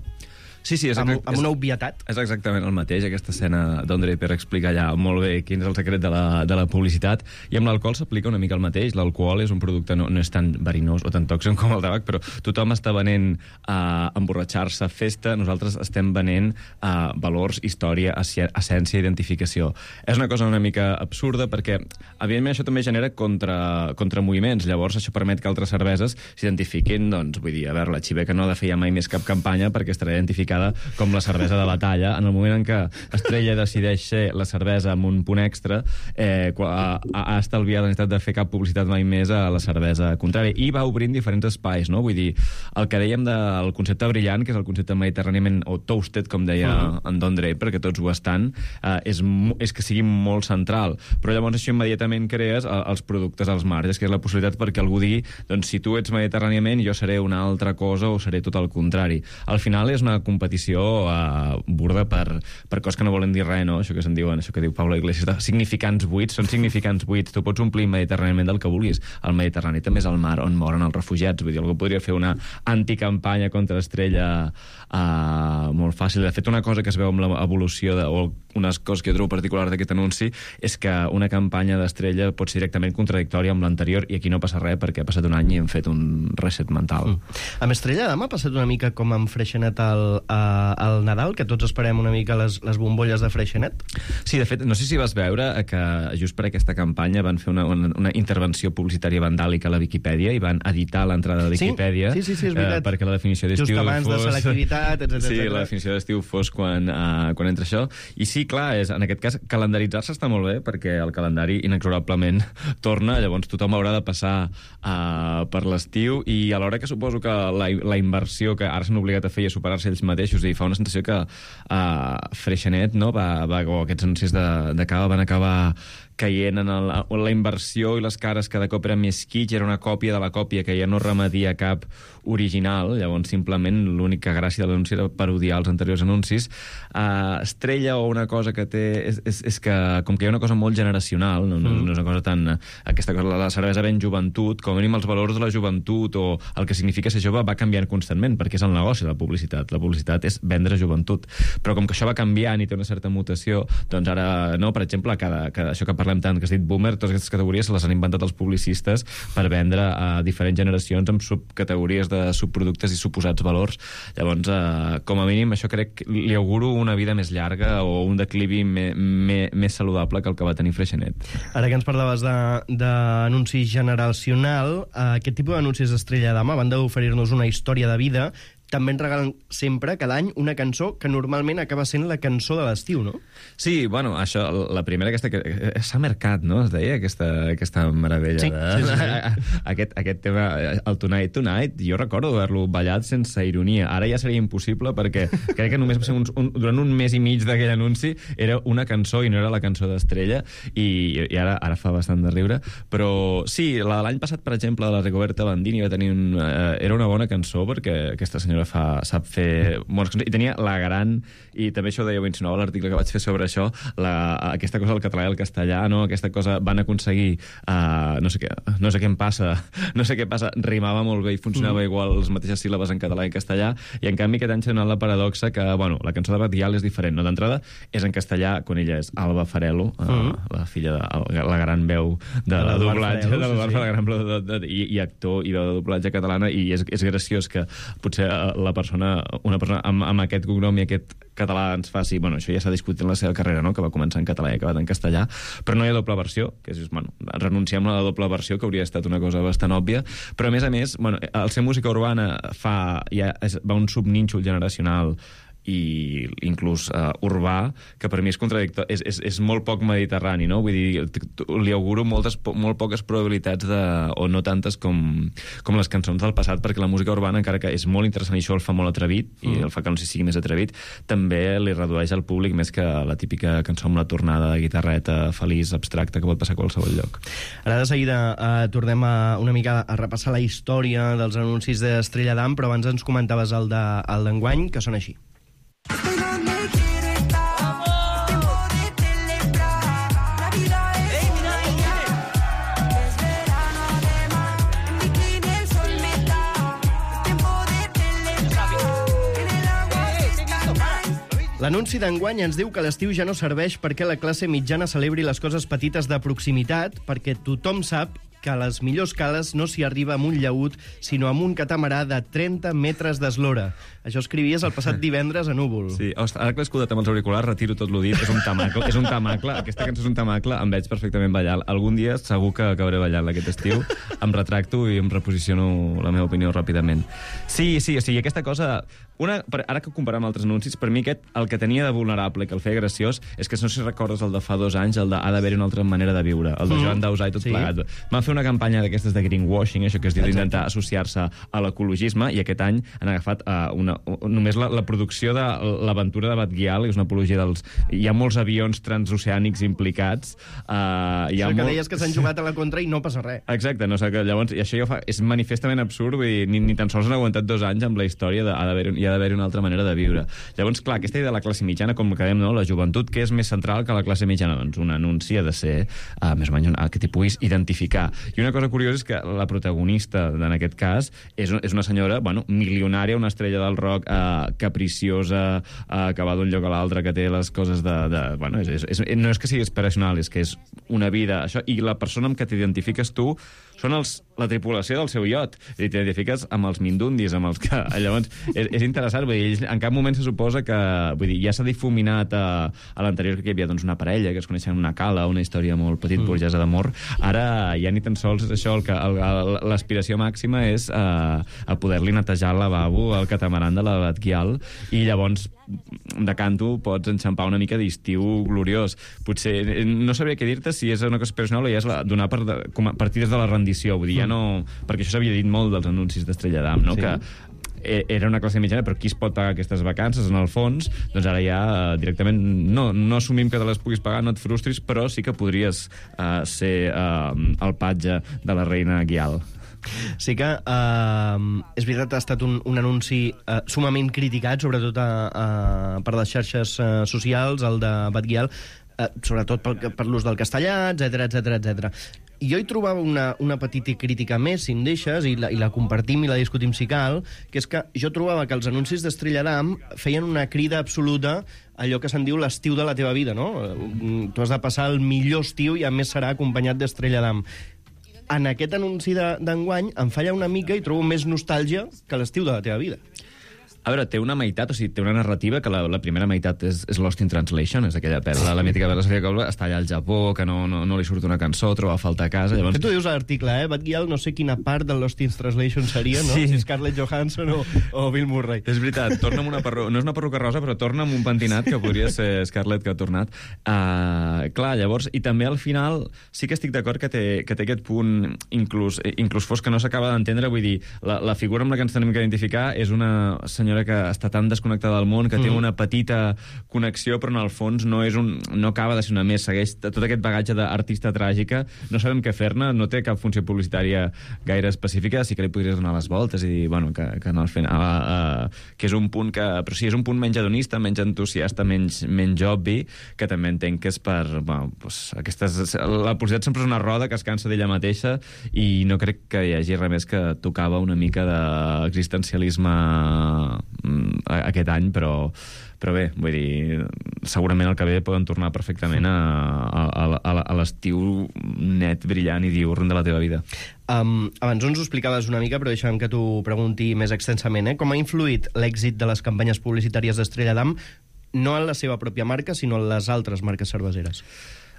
Sí, sí, és, amb, amb una obvietat. És exactament el mateix, aquesta escena d'On Draper explica allà molt bé quin és el secret de la, de la publicitat, i amb l'alcohol s'aplica una mica el mateix. L'alcohol és un producte, no, no és tan verinós o tan tòxic com el tabac, però tothom està venent uh, emborratxar-se, festa, nosaltres estem venent uh, valors, història, essència, identificació. És una cosa una mica absurda perquè, evidentment, això també genera contra, contramoviments. Llavors, això permet que altres cerveses s'identifiquin, doncs, vull dir, a veure, la Xiveca no ha de fer ja mai més cap campanya perquè estarà identificada classificada com la cervesa de batalla. En el moment en què Estrella decideix ser la cervesa amb un punt extra, eh, ha, ha estalviat la necessitat de fer cap publicitat mai més a la cervesa contrària. I va obrint diferents espais, no? Vull dir, el que dèiem del concepte brillant, que és el concepte mediterràniament, o toasted, com deia uh-huh. en Don Draper, que tots ho estan, eh, és, és que sigui molt central. Però llavors això immediatament crees els productes als marges, que és la possibilitat perquè algú digui, doncs si tu ets mediterràniament, jo seré una altra cosa o seré tot el contrari. Al final és una competició eh, burda per, per coses que no volen dir res, no? Això que se'n diuen, això que diu Pablo Iglesias, de significants buits, són significants buits. Tu pots omplir mediterràniament del que vulguis. El Mediterrani també és el mar on moren els refugiats. Vull dir, algú podria fer una anticampanya contra Estrella eh, molt fàcil. De fet, una cosa que es veu amb l'evolució, de, o unes coses que jo trobo particular d'aquest anunci, és que una campanya d'Estrella pot ser directament contradictòria amb l'anterior, i aquí no passa res perquè ha passat un any i hem fet un reset mental. Mm. Amb Estrella d'Am ha passat una mica com amb Freixenet al, al Nadal, que tots esperem una mica les, les bombolles de Freixenet? Sí, de fet, no sé si vas veure que just per aquesta campanya van fer una, una, una intervenció publicitària vandàlica a la Viquipèdia i van editar l'entrada de Viquipèdia sí? Sí, sí, sí, és veritat. Eh, perquè la definició d'estiu just abans fos... de selectivitat, etcètera. Sí, la definició d'estiu fos quan, uh, quan entra això. I sí, clar, és, en aquest cas, calendaritzar-se està molt bé perquè el calendari inexorablement torna, llavors tothom haurà de passar uh, per l'estiu, i alhora que suposo que la, la inversió que ara s'han obligat a fer i a superar-se ells mateixos, i fa una sensació que uh, Freixenet, no, va, va, o aquests anuncis de, de cava van acabar caient en el, la inversió i les cares cada cop eren més kitsch, era una còpia de la còpia que ja no remedia cap original, llavors simplement l'única gràcia de l'anunci era parodiar els anteriors anuncis. Uh, Estrella, o una cosa que té és, és, és que com que hi ha una cosa molt generacional, no, no, no és una cosa tan... Aquesta cosa, la cervesa ven joventut, com a mínim els valors de la joventut o el que significa ser jove va canviant constantment, perquè és el negoci de la publicitat. La publicitat és vendre joventut. Però com que això va canviant i té una certa mutació, doncs ara, no, per exemple, cada, cada, això que parlem tant, que has dit boomer, totes aquestes categories se les han inventat els publicistes per vendre a diferents generacions amb subcategories de subproductes i suposats valors. Llavors, eh, com a mínim, això crec que li auguro una vida més llarga o un declivi me, me, més saludable que el que va tenir Freixenet. Ara que ens parlaves d'anunci generacional, eh, aquest tipus d'anuncis d'Estrella d'Am, a banda d'oferir-nos una història de vida, també ens regalen sempre, cada any, una cançó que normalment acaba sent la cançó de l'estiu, no? Sí, bueno, això, la primera aquesta... que Summer Cat, no? Es deia aquesta, aquesta meravella. Sí, de... sí, sí, sí. Aquest, aquest tema, el Tonight Tonight, jo recordo haver-lo ballat sense ironia. Ara ja seria impossible perquè crec que només va ser uns, un, durant un mes i mig d'aquell anunci era una cançó i no era la cançó d'Estrella, i, i ara, ara fa bastant de riure. Però sí, la de l'any passat, per exemple, la Rigoberta Bandini va tenir un, eh, era una bona cançó perquè aquesta senyora Fa, sap fer bones cançons, i tenia la gran, i també això ho deia, ho insinuava l'article que vaig fer sobre això, la, aquesta cosa del català i el castellà, no? Aquesta cosa van aconseguir uh, no sé què, no sé què em passa no sé què passa, rimava molt bé i funcionava mm. igual les mateixes síl·labes en català i castellà, i en canvi aquest any s'ha donat la paradoxa que, bueno, la cançó de Batial és diferent, no? D'entrada és en castellà, quan ella és Alba Farelo, uh, mm. la filla de la gran veu de la doblatge, de la, sí. la gran veu de, de, i, i actor i veu de doblatge catalana, i és, és graciós que potser la persona, una persona amb, amb aquest cognom i aquest català ens faci... Bueno, això ja s'ha discutit en la seva carrera, no?, que va començar en català i ha acabat en castellà, però no hi ha doble versió, que és, bueno, renunciem a la doble versió, que hauria estat una cosa bastant òbvia, però a més a més, bueno, el ser música urbana fa, ja és, va un subnínxol generacional i inclús uh, urbà, que per mi és contradictori, és, és, és molt poc mediterrani, no? Vull dir, li auguro moltes, molt poques probabilitats de, o no tantes com, com les cançons del passat, perquè la música urbana, encara que és molt interessant i això el fa molt atrevit, mm. i el fa que no sigui més atrevit, també li redueix al públic més que la típica cançó amb la tornada de guitarreta feliç, abstracta, que pot passar a qualsevol lloc. Ara de seguida uh, tornem a, una mica a repassar la història dels anuncis d'Estrella d'Am, però abans ens comentaves el d'enguany, que són així. L'anunci d'enguany ens diu que l'estiu ja no serveix perquè la classe mitjana celebri les coses petites de proximitat, perquè tothom sap que a les millors cales no s'hi arriba amb un llaüt, sinó amb un catamarà de trenta metres d'eslora. Això escrivies el passat divendres a Núvol. Sí, ostres, ara que l'he escoltat amb els auriculars, retiro tot l'ho dit, és un tamacle, és un tamacle, aquesta cançó és un tamacle, em veig perfectament ballant. Algun dia segur que acabaré ballant aquest estiu, em retracto i em reposiciono la meva opinió ràpidament. Sí, sí, o sigui, aquesta cosa... Una, ara que ho comparem amb altres anuncis, per mi aquest, el que tenia de vulnerable, que el feia graciós, és que no sé si recordes el de fa dos anys, el de ha d'haver-hi una altra manera de viure, el de mm. Joan Dausà i tot sí. plegat. Van fer una campanya d'aquestes de greenwashing, això que es diu d'intentar associar-se a l'ecologisme, i aquest any han agafat uh, una, només la, la producció de l'aventura de Batguial, que és una apologia dels... Hi ha molts avions transoceànics implicats. Uh, hi ha això que molt... deies que s'han jugat a la contra i no passa res. Exacte, no sé, que llavors, i això ja fa, és manifestament absurd, vull dir, ni, ni tan sols han aguantat dos anys amb la història de ha d'haver hi ha d'haver una altra manera de viure. Llavors, clar, aquesta idea de la classe mitjana, com que dèiem, no? La joventut, que és més central que la classe mitjana? Doncs un anunci ha de ser, uh, més o menys, uh, que t'hi puguis identificar. I una cosa curiosa és que la protagonista, en aquest cas, és, és una senyora, bueno, milionària, una estrella del rock, uh, capriciosa, uh, que va d'un lloc a l'altre, que té les coses de... de bueno, és, és, no és que sigui aspiracional, és que és una vida... Això, i la persona amb què t'identifiques tu són els, la tripulació del seu iot. I t'identifiques amb els mindundis, amb els que... Llavors, és, és interessant, vull dir, en cap moment se suposa que... Vull dir, ja s'ha difuminat a, a l'anterior que hi havia doncs, una parella que es coneixen en una cala, una història molt petit, mm. burgesa d'amor. Ara ja ni tan sols és això, el que l'aspiració màxima és uh, a poder-li netejar el lavabo al catamaran de la Batguial, i llavors de canto pots enxampar una mica d'estiu gloriós. Potser, no sabria què dir-te si és una cosa aspiracional o ja és la, donar per, de, com a, partides de la rendició, vull dir, ja no... Perquè això s'havia dit molt dels anuncis d'Estrella d'Am, no? Sí. Que era una classe mitjana, però qui es pot pagar aquestes vacances, en el fons? Doncs ara ja directament no, no assumim que te les puguis pagar, no et frustris, però sí que podries uh, ser uh, el patge de la reina Guial. Sí que uh, és veritat, ha estat un, un anunci uh, sumament criticat, sobretot a, a, per les xarxes uh, socials, el de Batguial, uh, sobretot per, per l'ús del castellà, etcètera, etcètera, etcètera. I jo hi trobava una, una petita crítica més, si em deixes, i la, i la compartim i la discutim si cal, que és que jo trobava que els anuncis d'Estrella d'Am feien una crida absoluta allò que se'n diu l'estiu de la teva vida, no? Tu has de passar el millor estiu i a més serà acompanyat d'Estrella d'Am. En aquest anunci d'enguany em falla una mica i trobo més nostàlgia que l'estiu de la teva vida. A veure, té una meitat, o sigui, té una narrativa que la, la primera meitat és, és Lost in Translation, és aquella pel·la, la mítica de la Sofia Coppola, està allà al Japó, que no, no, no li surt una cançó, troba a faltar a casa... Llavors... Que tu dius a l'article, eh? Batguial, no sé quina part del Lost in Translation seria, no? Sí. Si Scarlett Johansson o, o Bill Murray. És veritat, torna amb una perruca, no és una perruca rosa, però torna amb un pentinat, que podria ser Scarlett que ha tornat. Uh, clar, llavors, i també al final sí que estic d'acord que té, que té aquest punt, inclús, inclús fos que no s'acaba d'entendre, vull dir, la, la figura amb la que ens tenim que identificar és una senyora que està tan desconnectada del món, que mm. té una petita connexió, però en el fons no és un, no acaba de ser una més, segueix tot aquest bagatge d'artista tràgica, no sabem què fer-ne, no té cap funció publicitària gaire específica, sí que li podries donar les voltes i dir, bueno, que, que en el final uh, que és un punt que, però sí, és un punt menys hedonista, menys entusiasta, menys, menys obvi, que també entenc que és per, bueno, pues, aquestes, la publicitat sempre és una roda que es cansa d'ella mateixa i no crec que hi hagi res més que tocava una mica d'existencialisme aquest any, però, però bé, vull dir, segurament el que ve poden tornar perfectament a, a, a, a l'estiu net, brillant i diurn de la teva vida. Um, abans ens ho explicaves una mica, però deixa'm que t'ho pregunti més extensament. Eh? Com ha influït l'èxit de les campanyes publicitàries d'Estrella d'Am no en la seva pròpia marca, sinó en les altres marques cerveseres?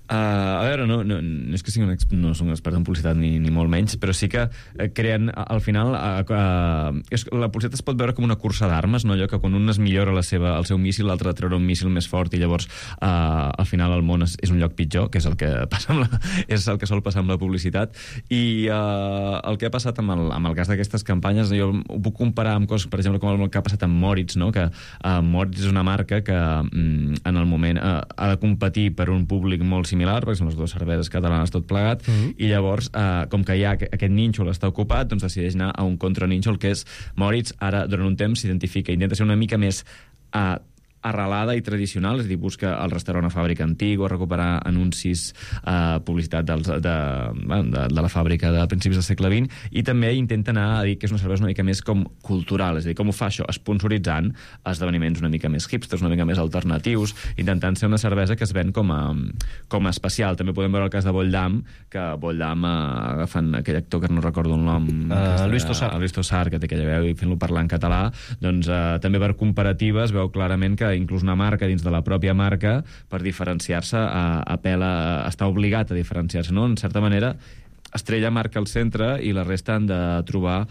Uh, a veure, no, no, no és que sigui un, no soc un expert en publicitat ni, ni molt menys, però sí que eh, creen, al final, uh, uh, és, la publicitat es pot veure com una cursa d'armes, no? Allò que quan un es millora la seva, el seu míssil, l'altre treure un míssil més fort i llavors uh, al final el món és, és un lloc pitjor, que és el que passa amb la, és el que sol passar amb la publicitat. I uh, el que ha passat amb el, amb el cas d'aquestes campanyes, jo ho puc comparar amb coses, per exemple, com el que ha passat amb Moritz, no? Que uh, Moritz és una marca que um, en el moment uh, ha de competir per un públic molt similar, perquè són les dues cerveses catalanes tot plegat, mm-hmm. i llavors, eh, com que ja aquest nínxol està ocupat, doncs decideix anar a un contranínxol, que és Moritz, ara, durant un temps, s'identifica, intenta ser una mica més eh, arrelada i tradicional, és a dir, busca el restaurant a fàbrica antiga, recuperar anuncis, eh, publicitat dels, de, de, de, de la fàbrica de principis del segle vint, i també intenta anar a dir que és una cervesa una mica més com cultural, és a dir, com ho fa això? Esponsoritzant esdeveniments una mica més hipsters, una mica més alternatius, intentant ser una cervesa que es ven com a, com a especial. També podem veure el cas de Bolldam, que Bolldam, eh, agafant aquell actor que no recordo el nom... Uh, Luis Tossar. Luis Tossar, que té aquella veu i fent-lo parlar en català, doncs eh, també per comparatives veu clarament que inclús una marca dins de la pròpia marca, per diferenciar-se, apela, està obligat a diferenciar-se, no? En certa manera, Estrella marca el centre i la resta han de trobar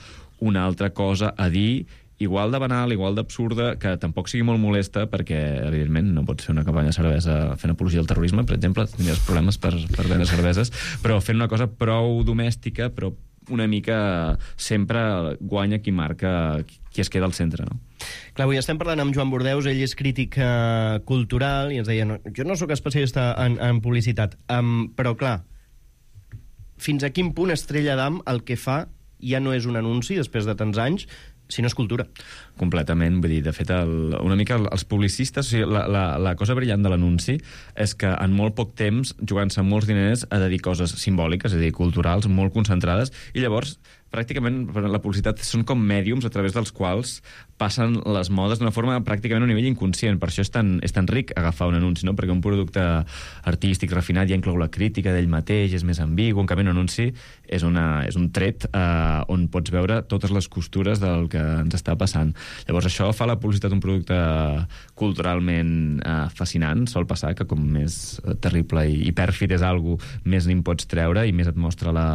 una altra cosa a dir, igual de banal, igual d'absurda, que tampoc sigui molt molesta, perquè, evidentment, no pots fer una campanya de cervesa fent apologia al terrorisme, per exemple, tindries problemes per, per vendre cerveses, però fent una cosa prou domèstica, però una mica sempre guanya qui marca, qui es queda al centre, no? Clar, avui estem parlant amb Joan Bordeus, ell és crític eh, cultural, i ens deia, no, jo no sóc especialista en, en publicitat, um, però clar, fins a quin punt Estrella d'Am el que fa ja no és un anunci, després de tants anys, si no és cultura. Completament, vull dir, de fet, el, una mica els publicistes, o sigui, la, la, la cosa brillant de l'anunci és que en molt poc temps, jugant-se molts diners, ha de dir coses simbòliques, és a dir, culturals, molt concentrades, i llavors, pràcticament, la publicitat són com mèdiums a través dels quals passen les modes d'una forma pràcticament a un nivell inconscient. Per això és tan, és tan ric agafar un anunci, no? Perquè un producte artístic refinat ja inclou la crítica d'ell mateix, és més ambigu, en canvi un anunci és, una, és un tret eh, on pots veure totes les costures del que ens està passant. Llavors això fa la publicitat un producte culturalment eh, fascinant. Sol passar que com més terrible i, i pèrfid és algo, més n'hi pots treure i més et mostra la,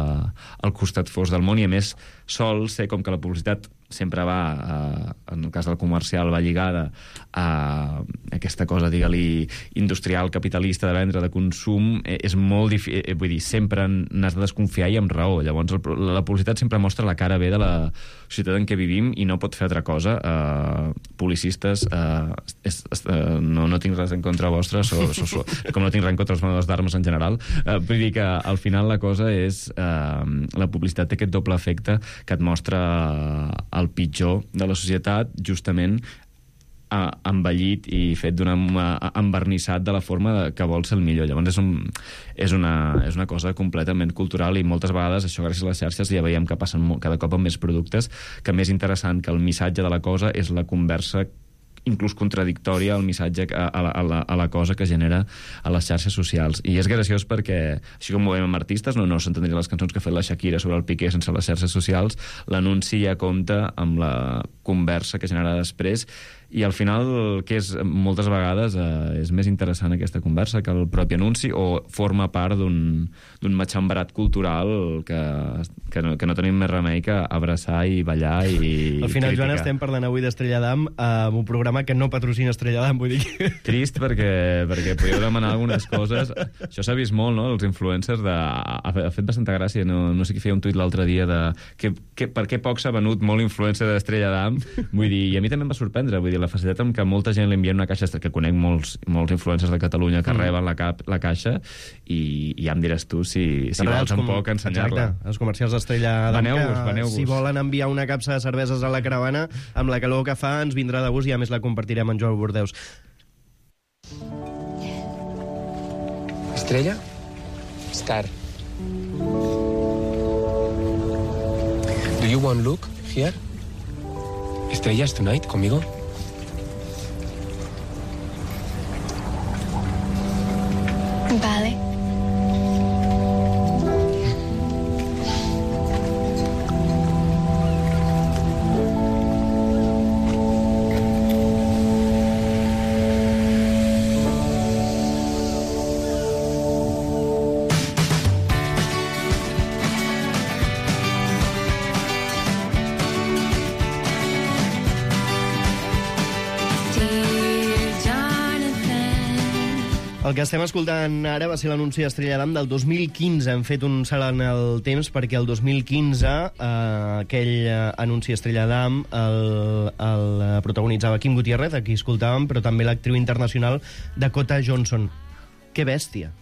el costat fosc del món, i a més sol ser com que la publicitat sempre va, eh, en el cas del comercial, va lligada a aquesta cosa, digue-li, industrial, capitalista, de vendre, de consum, eh, és molt difícil, eh, vull dir, sempre n'has de desconfiar i amb raó. Llavors, el, la publicitat sempre mostra la cara B de la societat en què vivim i no pot fer altra cosa. Eh, publicistes, eh, és, és, eh, no, no tinc res en contra vostre, so, so, so, com no tinc res en contra els venedors d'armes en general. Eh, vull dir que al final la cosa és, eh, la publicitat té aquest doble efecte que et mostra el pitjor de la societat, justament uh, envellit i fet d'una uh, envernissat de la forma de, que vol ser el millor. Llavors és, un, és, una, és una cosa completament cultural, i moltes vegades això gràcies a les xarxes ja veiem que passen molt, cada cop amb més productes, que més interessant que el missatge de la cosa és la conversa inclús contradictòria al missatge, a, a, a, la, a la cosa que genera a les xarxes socials. I és graciós perquè, així com ho veiem amb artistes, no, no s'entendria les cançons que ha fet la Shakira sobre el Piqué sense les xarxes socials, l'anunci ja compta amb la conversa que genera després, i al final, que és moltes vegades eh, és més interessant aquesta conversa que el propi anunci, o forma part d'un matxemberat cultural que, que, no, que no tenim més remei que abraçar i ballar i al final, criticar. Joan, estem parlant avui d'Estrella d'Am, amb un programa que no patrocina Estrella d'Am, vull dir que... Trist, perquè, perquè podíeu demanar algunes coses. Això s'ha vist molt, no?, els influencers. De... Ha fet bastanta gràcia, no, no sé qui feia un tuit l'altre dia de que, que, per què poc s'ha venut molt influencer d'Estrella d'Am. Vull dir, i a mi també em va sorprendre, vull dir, la facilitat amb que molta gent li envia una caixa, que conec molts, molts influencers de Catalunya que mm. reben la, cap, la caixa, i, i ja em diràs tu si, si vols un poc ensenyar-la. Exacte, els comercials d'Estrella d'Am, que si volen enviar una capsa de cerveses a la caravana, amb la calor que fa ens vindrà de gust, i a més la compartirem amb Joan Bordeus. Estrella? Star. Do you want look here? Estrellas tonight, conmigo? Vale. El que estem escoltant ara va ser l'anunci d'Estrella d'Am del dos mil quinze. Hem fet un salt en el temps perquè el dos mil quinze eh, aquell eh, anunci Estrella d'Am el, el protagonitzava Kim Gutiérrez, aquí escoltàvem, però també l'actriu internacional Dakota Johnson. Que bèstia.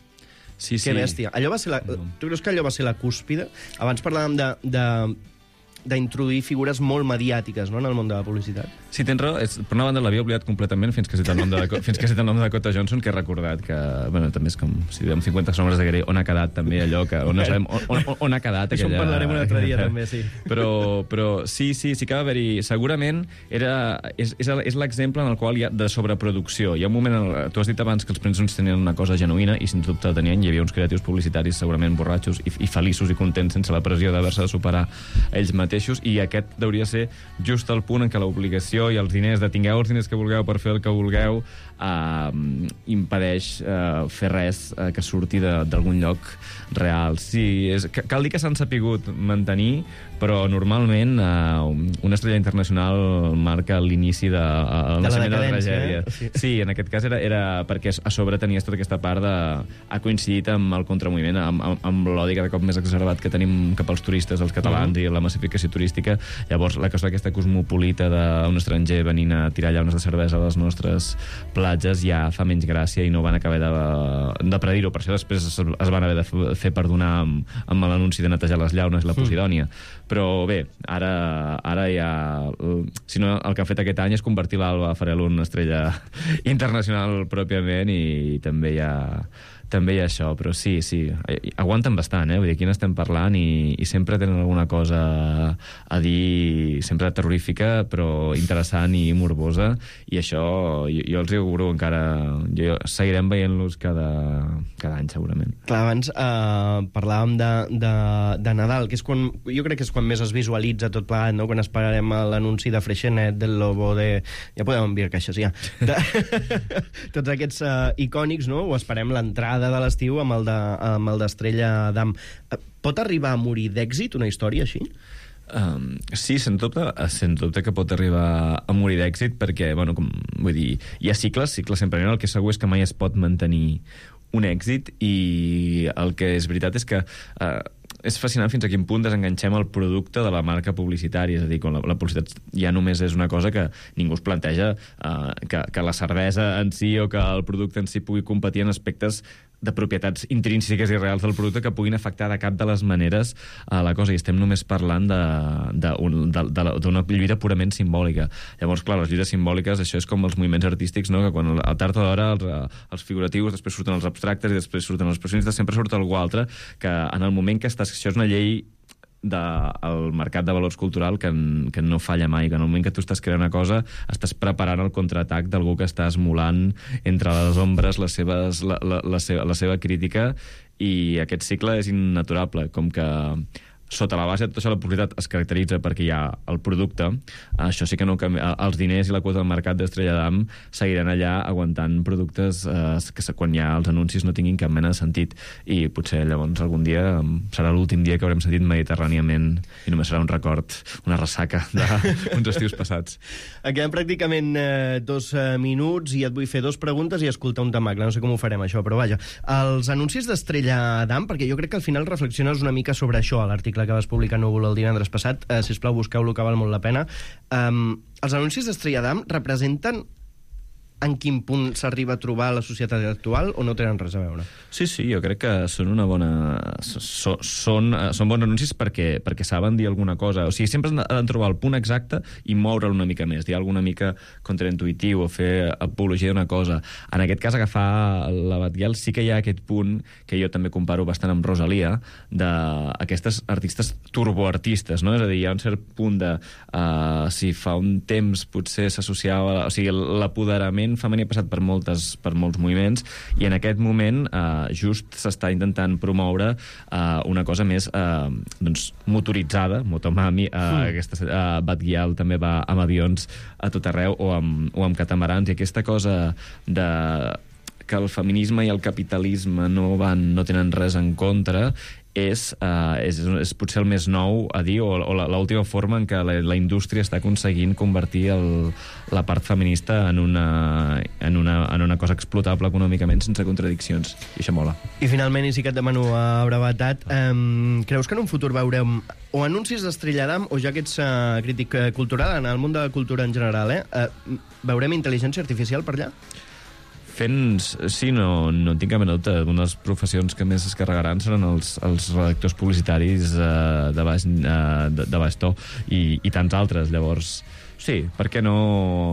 Sí, sí. Que bèstia. Allò va ser la... Tu creus que allò va ser la cúspide? Abans parlàvem de... de d'introduir figures molt mediàtiques, no?, en el món de la publicitat. Sí, tens raó. És, per una banda, l'havia oblidat completament fins que he citat el nom de, fins que he citat el nom de Dakota Johnson, que he recordat que, bueno, també és com, si diem cinquanta sombres de Grey, on ha quedat també allò, que, on, no sabem, on, on, on ha quedat aquella... Això en parlarem un altre dia, també, sí. Però, però sí, sí, sí que va haver-hi... Segurament era, és, és, és l'exemple en el qual hi ha de sobreproducció. Hi ha un moment, en el, tu has dit abans que els premsons tenien una cosa genuïna, i sens dubte tenien, hi havia uns creatius publicitaris segurament borratxos i, i feliços i contents sense la pressió d'haver-se de superar ells mateixos, i aquest hauria ser just el punt en què l'obligació i els diners, de tingueu els diners que vulgueu per fer el que vulgueu, eh, impedeix eh, fer res eh, que surti d'algun lloc real. Sí, és, cal dir que s'han sapigut mantenir, però normalment eh, una estrella internacional marca l'inici de, uh, de, de la tragèdia. Eh? Sí. Sí, en aquest cas era, era perquè a sobre tenies tota aquesta part de... ha coincidit amb el contramoviment, amb, amb, amb l'odi cada cop més exacerbat que tenim cap als turistes, els catalans, uh-huh. i la massificació turística. Llavors, la cosa aquesta cosmopolita d'un estranger venint a tirar llaunes de cervesa a les nostres platges ja fa menys gràcia i no van acabar de, de predir-ho. Per això després es, es van haver de fer perdonar amb, amb l'anunci de netejar les llaunes i la Posidònia. Mm. Però bé, ara, ara ja... Si no, el que ha fet aquest any és convertir l'Alba Farel en una estrella internacional pròpiament, i també hi ha... també hi ha això, però sí, sí, aguanten bastant, eh? Vull dir, aquí n'estem parlant i, i sempre tenen alguna cosa a dir, sempre terrorífica, però interessant i morbosa, i això jo, jo els auguro encara... Jo, seguirem veient-los cada, cada any, segurament. Clar, abans eh, parlàvem de, de, de Nadal, que és quan, jo crec que és quan més es visualitza tot plegat, no?, quan esperarem l'anunci de Freixenet, del Lobo, de... Ja podem enviar caixes, ja. De... Tots aquests eh, icònics, no?, o esperem l'entrada de l'estiu amb el de, amb el d'Estrella d'Am. Pot arribar a morir d'èxit una història així? Um, sí, sens dubte, sens dubte que pot arribar a morir d'èxit, perquè, bueno, com, vull dir, hi ha cicles, cicles sempre, el que segur és que mai es pot mantenir un èxit, i el que és veritat és que uh, és fascinant fins a quin punt desenganxem el producte de la marca publicitària. És a dir, quan la, la publicitat ja només és una cosa que ningú es planteja, uh, que, que la cervesa en si o que el producte en si pugui competir en aspectes de propietats intrínseques i reals del producte que puguin afectar de cap de les maneres a la cosa, i estem només parlant d'una lluita purament simbòlica. Llavors, clar, les lluites simbòliques, això és com els moviments artístics, no?, que quan a tard o d'hora els, els figuratius, després surten els abstractes i després surten els expressionistes, sempre surt algú altre, que en el moment que estàs... Això és una llei del mercat de valors cultural que, que no falla mai, que en el moment que tu estàs creant una cosa estàs preparant el contraatac d'algú que està esmolant entre les ombres les seves, la, la, la, seva, la seva crítica, i aquest cicle és innaturable, com que sota la base de tota això la publicitat es caracteritza perquè hi ha el producte, això sí que no canvia. Els diners i la quota del mercat d'Estrella d'Am seguiran allà aguantant productes eh, que quan hi ha els anuncis no tinguin cap mena de sentit, i potser llavors algun dia serà l'últim dia que haurem sentit mediterràniament i només serà un record, una ressaca d'uns estius passats. Queden pràcticament eh, dos eh, minuts i et vull fer dos preguntes i escoltar un tamacle, no sé com ho farem això, però vaja. Els anuncis d'Estrella d'Am, perquè jo crec que al final reflexiones una mica sobre això a l'article que vas publicar a Núvol el divendres passat, eh, sisplau, busqueu-lo, que val molt la pena. Um, els anuncis d'Estrella d'Am representen en quin punt s'arriba a trobar la societat actual, o no tenen res a veure? Sí, sí, jo crec que són una bona... So, són, són bons anuncis perquè, perquè saben dir alguna cosa. O sigui, sempre han de trobar el punt exacte i moure'l una mica més, dir alguna mica contraintuitiu o fer apologia d'una cosa. En aquest cas, agafar la Batguial, sí que hi ha aquest punt que jo també comparo bastant amb Rosalia, d'aquestes artistes turboartistes, no? És a dir, hi ha un cert punt de... Uh, si fa un temps potser s'associava... O sigui, l'apoderament femení ha passat per, moltes, per molts moviments, i en aquest moment eh, just s'està intentant promoure eh, una cosa més eh, doncs, motoritzada, motomami, eh, mm. aquesta eh, Batguial també va amb avions a tot arreu, o amb, o amb catamarans, i aquesta cosa de que el feminisme i el capitalisme no van, no tenen res en contra, és, uh, és, és potser el més nou a dir, o, o l'última forma en què la, la indústria està aconseguint convertir el, la part feminista en una, en, una, en una cosa explotable econòmicament sense contradiccions, i això mola. I finalment, i sí que et demano a brevetat, um, creus que en un futur veurem o anuncis d'Estrella d'Am, o ja que ets uh, crític cultural, en el món de la cultura en general, eh, uh, veurem intel·ligència artificial per allà? fent... Sí, no, no tinc cap mena dubte. Una de les professions que més es carregaran seran els, els redactors publicitaris eh, de, baix, eh, de, de baix to i, i tants altres. Llavors, sí, per què no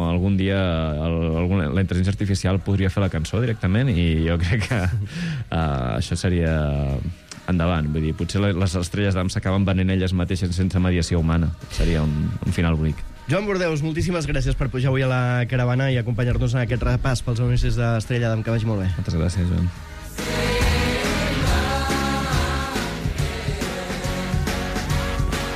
algun dia el, algun, la intel·ligència artificial podria fer la cançó directament i jo crec que uh, això seria endavant. Vull dir, potser les estrelles d'am s'acaben venent elles mateixes sense mediació humana. Seria un, un final bonic. Joan Bordeus, moltíssimes gràcies per pujar avui a la caravana i acompanyar-nos en aquest repàs pels anuncis d'Estrella d'Am, que vagi molt bé. Moltes gràcies, Joan.